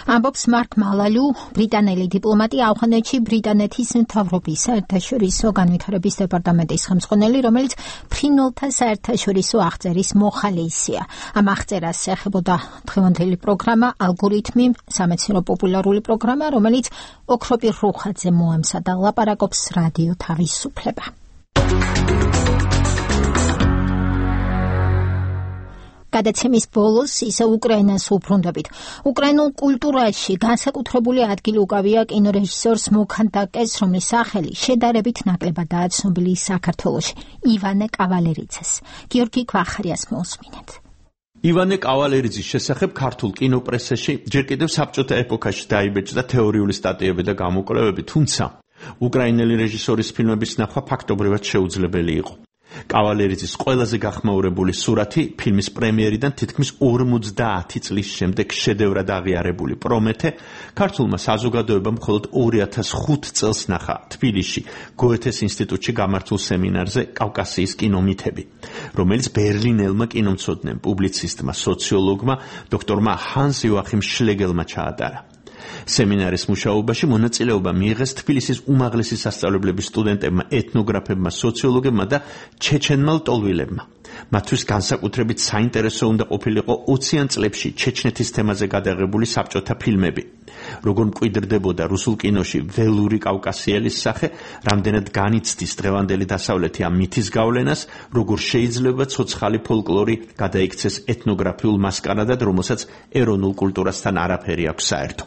ამბობს მარკ მალალიუ, ბრიტანელი დიპლომატი ავღანეთში ბრიტანეთის მთავრობის საერთაშორისო განვითარების დეპარტამენტის ხელმძღვანელი, რომელიც ფრინველთა საერთაშორისო აღწერის მოხალისეა. ამ აღწერას ეხებოდა დღევანდელი პროგრამა ალგორითმი, სამეცნიერო პოპულარული პროგრამა, რომელიც ოქროპირ რუხაძე მოემსა და ლაპარაკობს რადიო თავისუფლება. გადაცემის ბოლოს ისე უკრაინას უბრუნდებით. უკრაინულ კულტურაში განსაკუთრებული ადგილი უკავია კინორეჟისორს მოქანდაკეს, რომლის სახელი შედარებით ნაკლებადაა ცნობილი საქართველოში, ივანე კავალერიძეს. გიორგი ქვახარიას მოусმინეთ. ივანე კავალერიძის შესახებ ქართულ კინოპრესაში ჯერ კიდევ საბჭოთა ეპოქაში დაიბეჭდა თეორიული სტატიები და გამოკვლევები, თუმცა უკრაინელი რეჟისორის ფილმების ნახვა ფაქტობრივად შეუძლებელი იყო. კავალერიძის ყველაზე გახმაურებული სურათი ფილმის პრემიერიდან თითქმის ორმოცდაათი წლის შემდეგ შედევრად აღიარებული პრომეთე ქართულმა საზოგადოებამ მხოლოდ ორი ათას ხუთი წელს ნახა თბილისში გოეთეს ინსტიტუტში გამართულ სემინარზე კავკასიის კინომითები, რომელიც ბერლინელმა კინომცოდნემ, პუბლიცისტმა, სოციოლოგმა დოქტორმა ჰანს იოახიმ შლეგელმა ჩაატარა. სემინარის მუშაობაში მონაწილეობა მიიღეს თბილისის უმაღლესი სასწავლებლების სტუდენტებმა, ეთნოგრაფებმა, სოციოლოგებმა და ჩეჩენმა ლტოლვილებმა. მათთვის განსაკუთრებით საინტერესო უნდა ყოფილიყო ოციან წლებში ჩეჩნეთის თემაზე გადაღებული საბჭოთა ფილმები. როგორ მკვიდრდებოდა რუსულ კინოში ველური კავკასიელის სახე, რამდენად განიცდის დღევანდელი დასავლეთი ამ მითის გავლენას, როგორ შეიძლება ცოცხალი ფოლკლორი გადაიქცეს ეთნოგრაფიულ მასკარადად, რომელსაც ეროვნულ კულტურასთან არაფერი აქვს საერთო.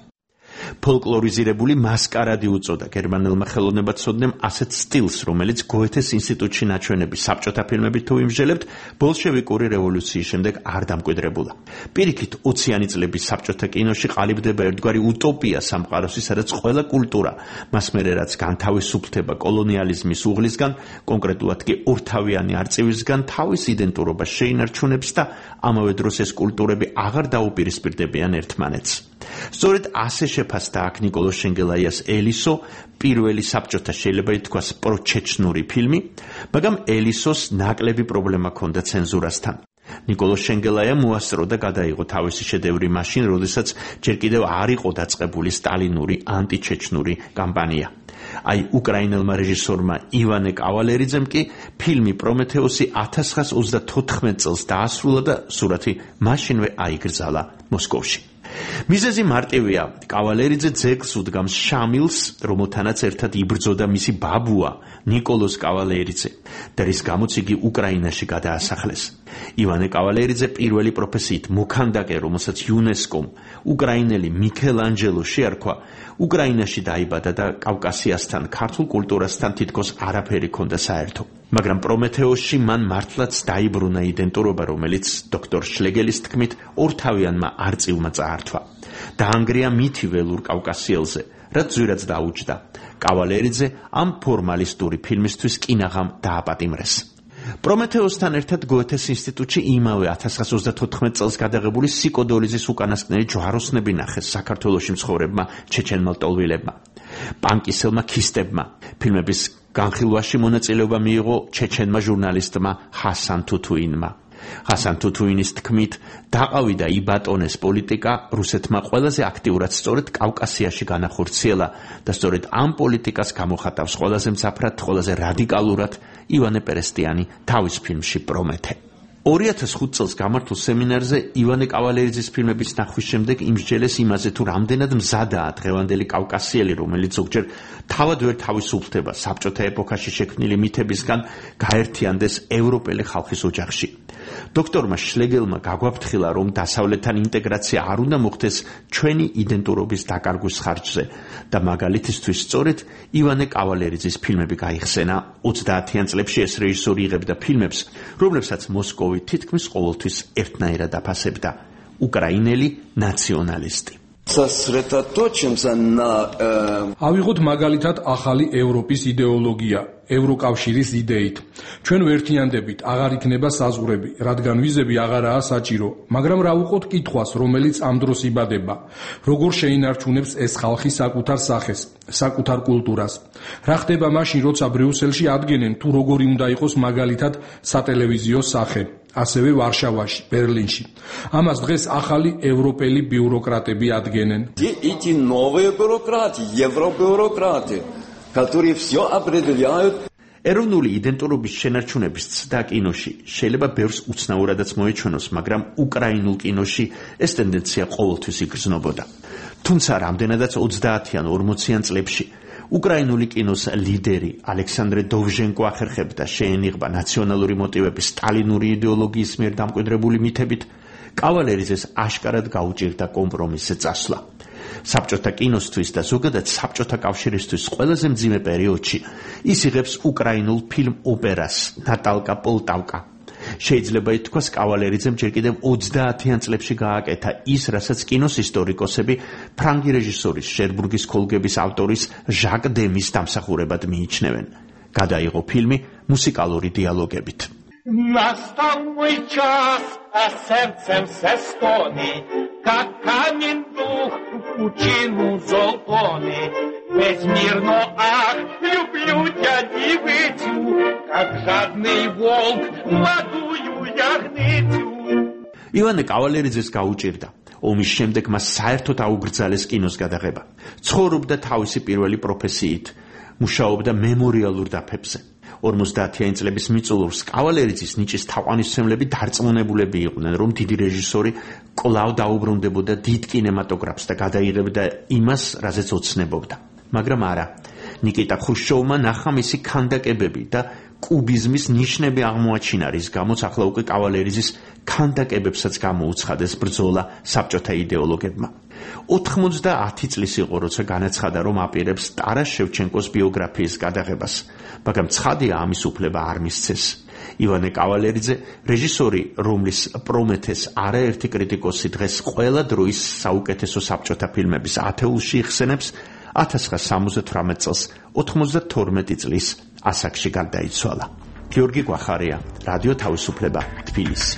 ფოლკლორიზირებული მასკარადი უწოდა გერმანელმა ხელოვნებაცოდნემ ასეთ სტილს, რომელიც გოეთეს ინსტიტუტში ნაჩვენები საბჭოთა ფილმებით თუ იმსჯელებთ, ბოლშევიკური რევოლუციის შემდეგ არ დამკვიდრებულა. პირიქით, ოციანი წლების საბჭოთა კინოში ყალიბდება ერთგვარი უტოპია სამყაროსი, სადაც ყველა კულტურა, მას მერე რაც განთავისუფლდება კოლონიალიზმის უღლისგან, კონკრეტულად კი ორთავიანი არწივისგან, თავის იდენტურობას შეინარჩუნებს და ამავე დროს ეს კულტურები აღარ დაუპირისპირდებიან ერთმანეთს. სწორედ ასე შეფასდა აქ ნიკოლოზ შენგელაიას ელისო, პირველი საბჭოთა შეიძლება ითქვას პროჩეჩნური ფილმი, მაგრამ ელისოს ნაკლები პრობლემა ჰქონდა ცენზურასთან. ნიკოლოზ შენგელაია მოასწრო და გადაიღო თავისი შედევრი მაშინ, როდესაც ჯერ კიდევ არ იყო დაწყებული სტალინური ანტიჩეჩნური კამპანია. აი, უკრაინელმა რეჟისორმა ივანე კავალერიძემ კი ფილმი პრომეთეოსი ათას ცხრაას ოცდათოთხმეტ წელს დაასრულა და სურათი მაშინვე აიგრძალა მოსკოვში. მიზეზი მარტივია. კავალერიძე ძეგლს უდგამს შამილს, რომელთანაც ერთად იბრძოდა მისი ბაბუა ნიკოლოზ კავალერიძე და რის გამოც იგი უკრაინაში გადაასახლეს. ივანე კავალერიძე პირველი პროფესიით მოქანდაკე, რომელსაც იუნესკომ უკრაინელი მიქელანჯელო შეარქვა, უკრაინაში დაიბადა და კავკასიასთან, ქართულ კულტურასთან თითქოს არაფერი ჰქონდა საერთო. მაგრამ პრომეთეოსში მან მართლაც დაიბრუნა იდენტურობა, რომელიც დოქტორ შლეგელის თქმით ორთავიანმა არწივმა წაართვა. დაანგრია მითი ველურ კავკასიელზე, რაც ძვირად დაუჯდა. კავალერიძე ამ ფორმალისტური ფილმისთვის კინაღამ დააპატიმრეს. პრომეთეოსთან ერთად გოეთეს ინსტიტუტში იმავე ათას ცხრაას ოცდათოთხმეტ წელს გადაღებული სიკოდოლიზის უკანასკნელი ჯვაროსნები ნახეს საქართველოში მცხოვრებმა ჩეჩენმა ლტოლვილებმა, პანკისელმა ქისტებმა. ფილმების განხილვაში მონაწილეობა მიიღო ჩეჩენმა ჟურნალისტმა ჰასან თუთუინმა. ჰასან თუთუინის თქმით, დაყავიდა იბატონეს პოლიტიკა რუსეთმა ყველაზე აქტიურად სწორედ კავკასიაში განახორციელა და სწორედ ამ პოლიტიკას გამოხატავს ყველაზე მძაფრად, ყველაზე რადიკალურად ივანე პერესტიანი თავის ფილმში პრომეთე. ორი ათას ხუთი წელს გამართულ სემინარზე ივანე კავალერიძის ფილმების ნახვის შემდეგ იმსჯელეს იმაზე, თუ რამდენად მზადაა დღევანდელი კავკასიელი, რომელიც ზოგჯერ თავად ვერ თავისუფლდება საბჭოთა ეპოქაში შექმნილი მითებისგან, გაერთიანდეს ევროპელი ხალხის ოჯახში. დოქტორმა შლეგელმა გაგვაფრთხილა, რომ დასავლეთთან ინტეგრაცია არ უნდა მოხდეს ჩვენი იდენტურობის დაკარგვის ხარჯზე და მაგალითისთვის სწორედ ივანე კავალერიძის ფილმები გაიხსენა. ოცდაათიან წლებში ეს რეჟისორი იღებდა ფილმებს, რომლებსაც მოსკოვი თითქმის ყოველთვის ერთნაირად აფასებდა: უკრაინელი ნაციონალისტი. ავიღოთ მაგალითად ახალი ევროპის იდეოლოგია, ევროკავშირის იდეით. ჩვენ ვერთიანდებით, აღარ იქნება საზღვრები, რადგან ვიზები აღარაა საჭირო, მაგრამ რა ვუყოთ კითხვას, რომელიც ამ დროს იბადება: როგორ შეინარჩუნებს ეს ხალხი საკუთარ სახეს, საკუთარ კულტურას? რა ხდება მაშინ, როცა ბრიუსელში ადგენენ, თუ როგორი უნდა იყოს მაგალითად სატელევიზიო სახე? ასევე ვარშავაში, ბერლინში. ამას დღეს ახალი ევროპელი ბიუროკრატები ადგენენ. Эти новые бюрократы, евробюрократы, которые все определяют. ეროვნული იდენტურობის შენარჩუნების ცდა კინოში შეიძლება ბევრს უცნაურადაც მოეჩვენოს, მაგრამ უკრაინულ კინოში ეს ტენდენცია ყოველთვის იგრძნობოდა. თუმცა რამდენადაც ოცდაათიან ორმოციან წლებში უკრაინული კინოს ლიდერი ალექსანდრე დოვჟენკო ახერხებდა შეენიღბა ნაციონალური მოტივების სტალინური იდეოლოგიის მიერ დამკვიდრებული მითებით, კავალერიძეს აშკარად გაუჭირდა კომპრომისზე წასვლა. საბჭოთა კინოსთვის და ზოგადად საბჭოთა კავშირისთვის ყველაზე მძიმე პერიოდში ის იღებს უკრაინულ ფილმ ოპერას ნატალკა პოლტავკა. შეიძლება ითქვას, კავალერიძემ ჯერ კიდევ ოცდაათიან წლებში გააკეთა ის, რასაც კინოს ისტორიკოსები ფრანგი რეჟისორის ჟერბურგის ქოლგების ავტორის ჟაკ დემის დამსახურებად მიიჩნევენ. გადაიღო ფილმი მუსიკალური დიალოგებით. Настал мой час, а сердцем все стонет, как камень дух в пучину золотой. Безмерно, ах, люблю тебя, девицу, как жадный волк молодую ягницу. ივანე კავალერიძეს გაუჭირდა. ომის შემდეგ მას საერთოდ აუგრძალეს კინოს გადაღება. ცხოვრობდა თავისი პირველი პროფესიით, მუშაობდა მემორიალურ დაფებზე. ორმოცდაათიანი წლების მიწურულს კავალერიძის ნიჭის თაყვანისმცემლები დარწმუნებულები იყვნენ, რომ დიდი რეჟისორი კვლავ დაუბრუნდებოდა დიდ კინემატოგრაფს და გადაიღებდა იმას, რაზეც ოცნებობდა. მაგრამ არა, ნიკიტა ხრუშჩოვმა ნახა მისი ქანდაკებები და კუბიზმის ნიშნები აღმოაჩინა, რის გამოც ახლა უკვე კავალერიძის ქანდაკებებსაც გამოუცხადეს ბრძოლა საბჭოთა იდეოლოგებმა. ოთხმოცდაათი წლის იყო, როცა განაცხადა, რომ აპირებს ტარას შევჩენკოს ბიოგრაფიის გადაღებას, მაგრამ ცხადია, ამის უფლება არ მისცეს. ივანე კავალერიძე, რეჟისორი, რომლის პრომეთეს არაერთი კრიტიკოსი დღეს ყველა დროის საუკეთესო საბჭოთა ფილმების ათეულში იხსენებს, ათას ცხრაასა სამოცდათვრამეტ წელს ოთხმოცდათორმეტი წლის ასაკში გარდაიცვალა. გიორგი კვახარია, რადიო თავისუფლება, თბილისი.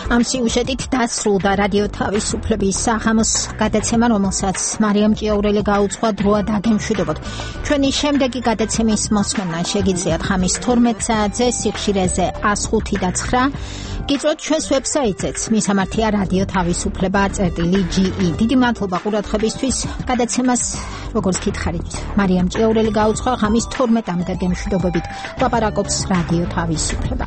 ამ სიუჟეტით დასრულდა რადიო თავისუფლების საღამოს გადაცემა, რომელსაც მარიამ ჭიაურელი გაუძღვა დროა დაგემშვიდობოთ. ჩვენი შემდეგი გადაცემის მოსმენა შეგიძლიათ ხამის თორმეტ საათზე სიხშირეზე ას ხუთი და ცხრა. გიწვევთ ჩვენს ვებსაიტზეც, მისამართია რადიო თავისუფლება წერტილი ჯი ი. დიდი მადლობა ყურადღებისთვის. გადაცემას, როგორც გითხარით, მარიამ ჭიაურელი გაუძღვა ხამის თორმეტამდე გემშვიდობებით. ლაპარაკობს რადიო თავისუფლება.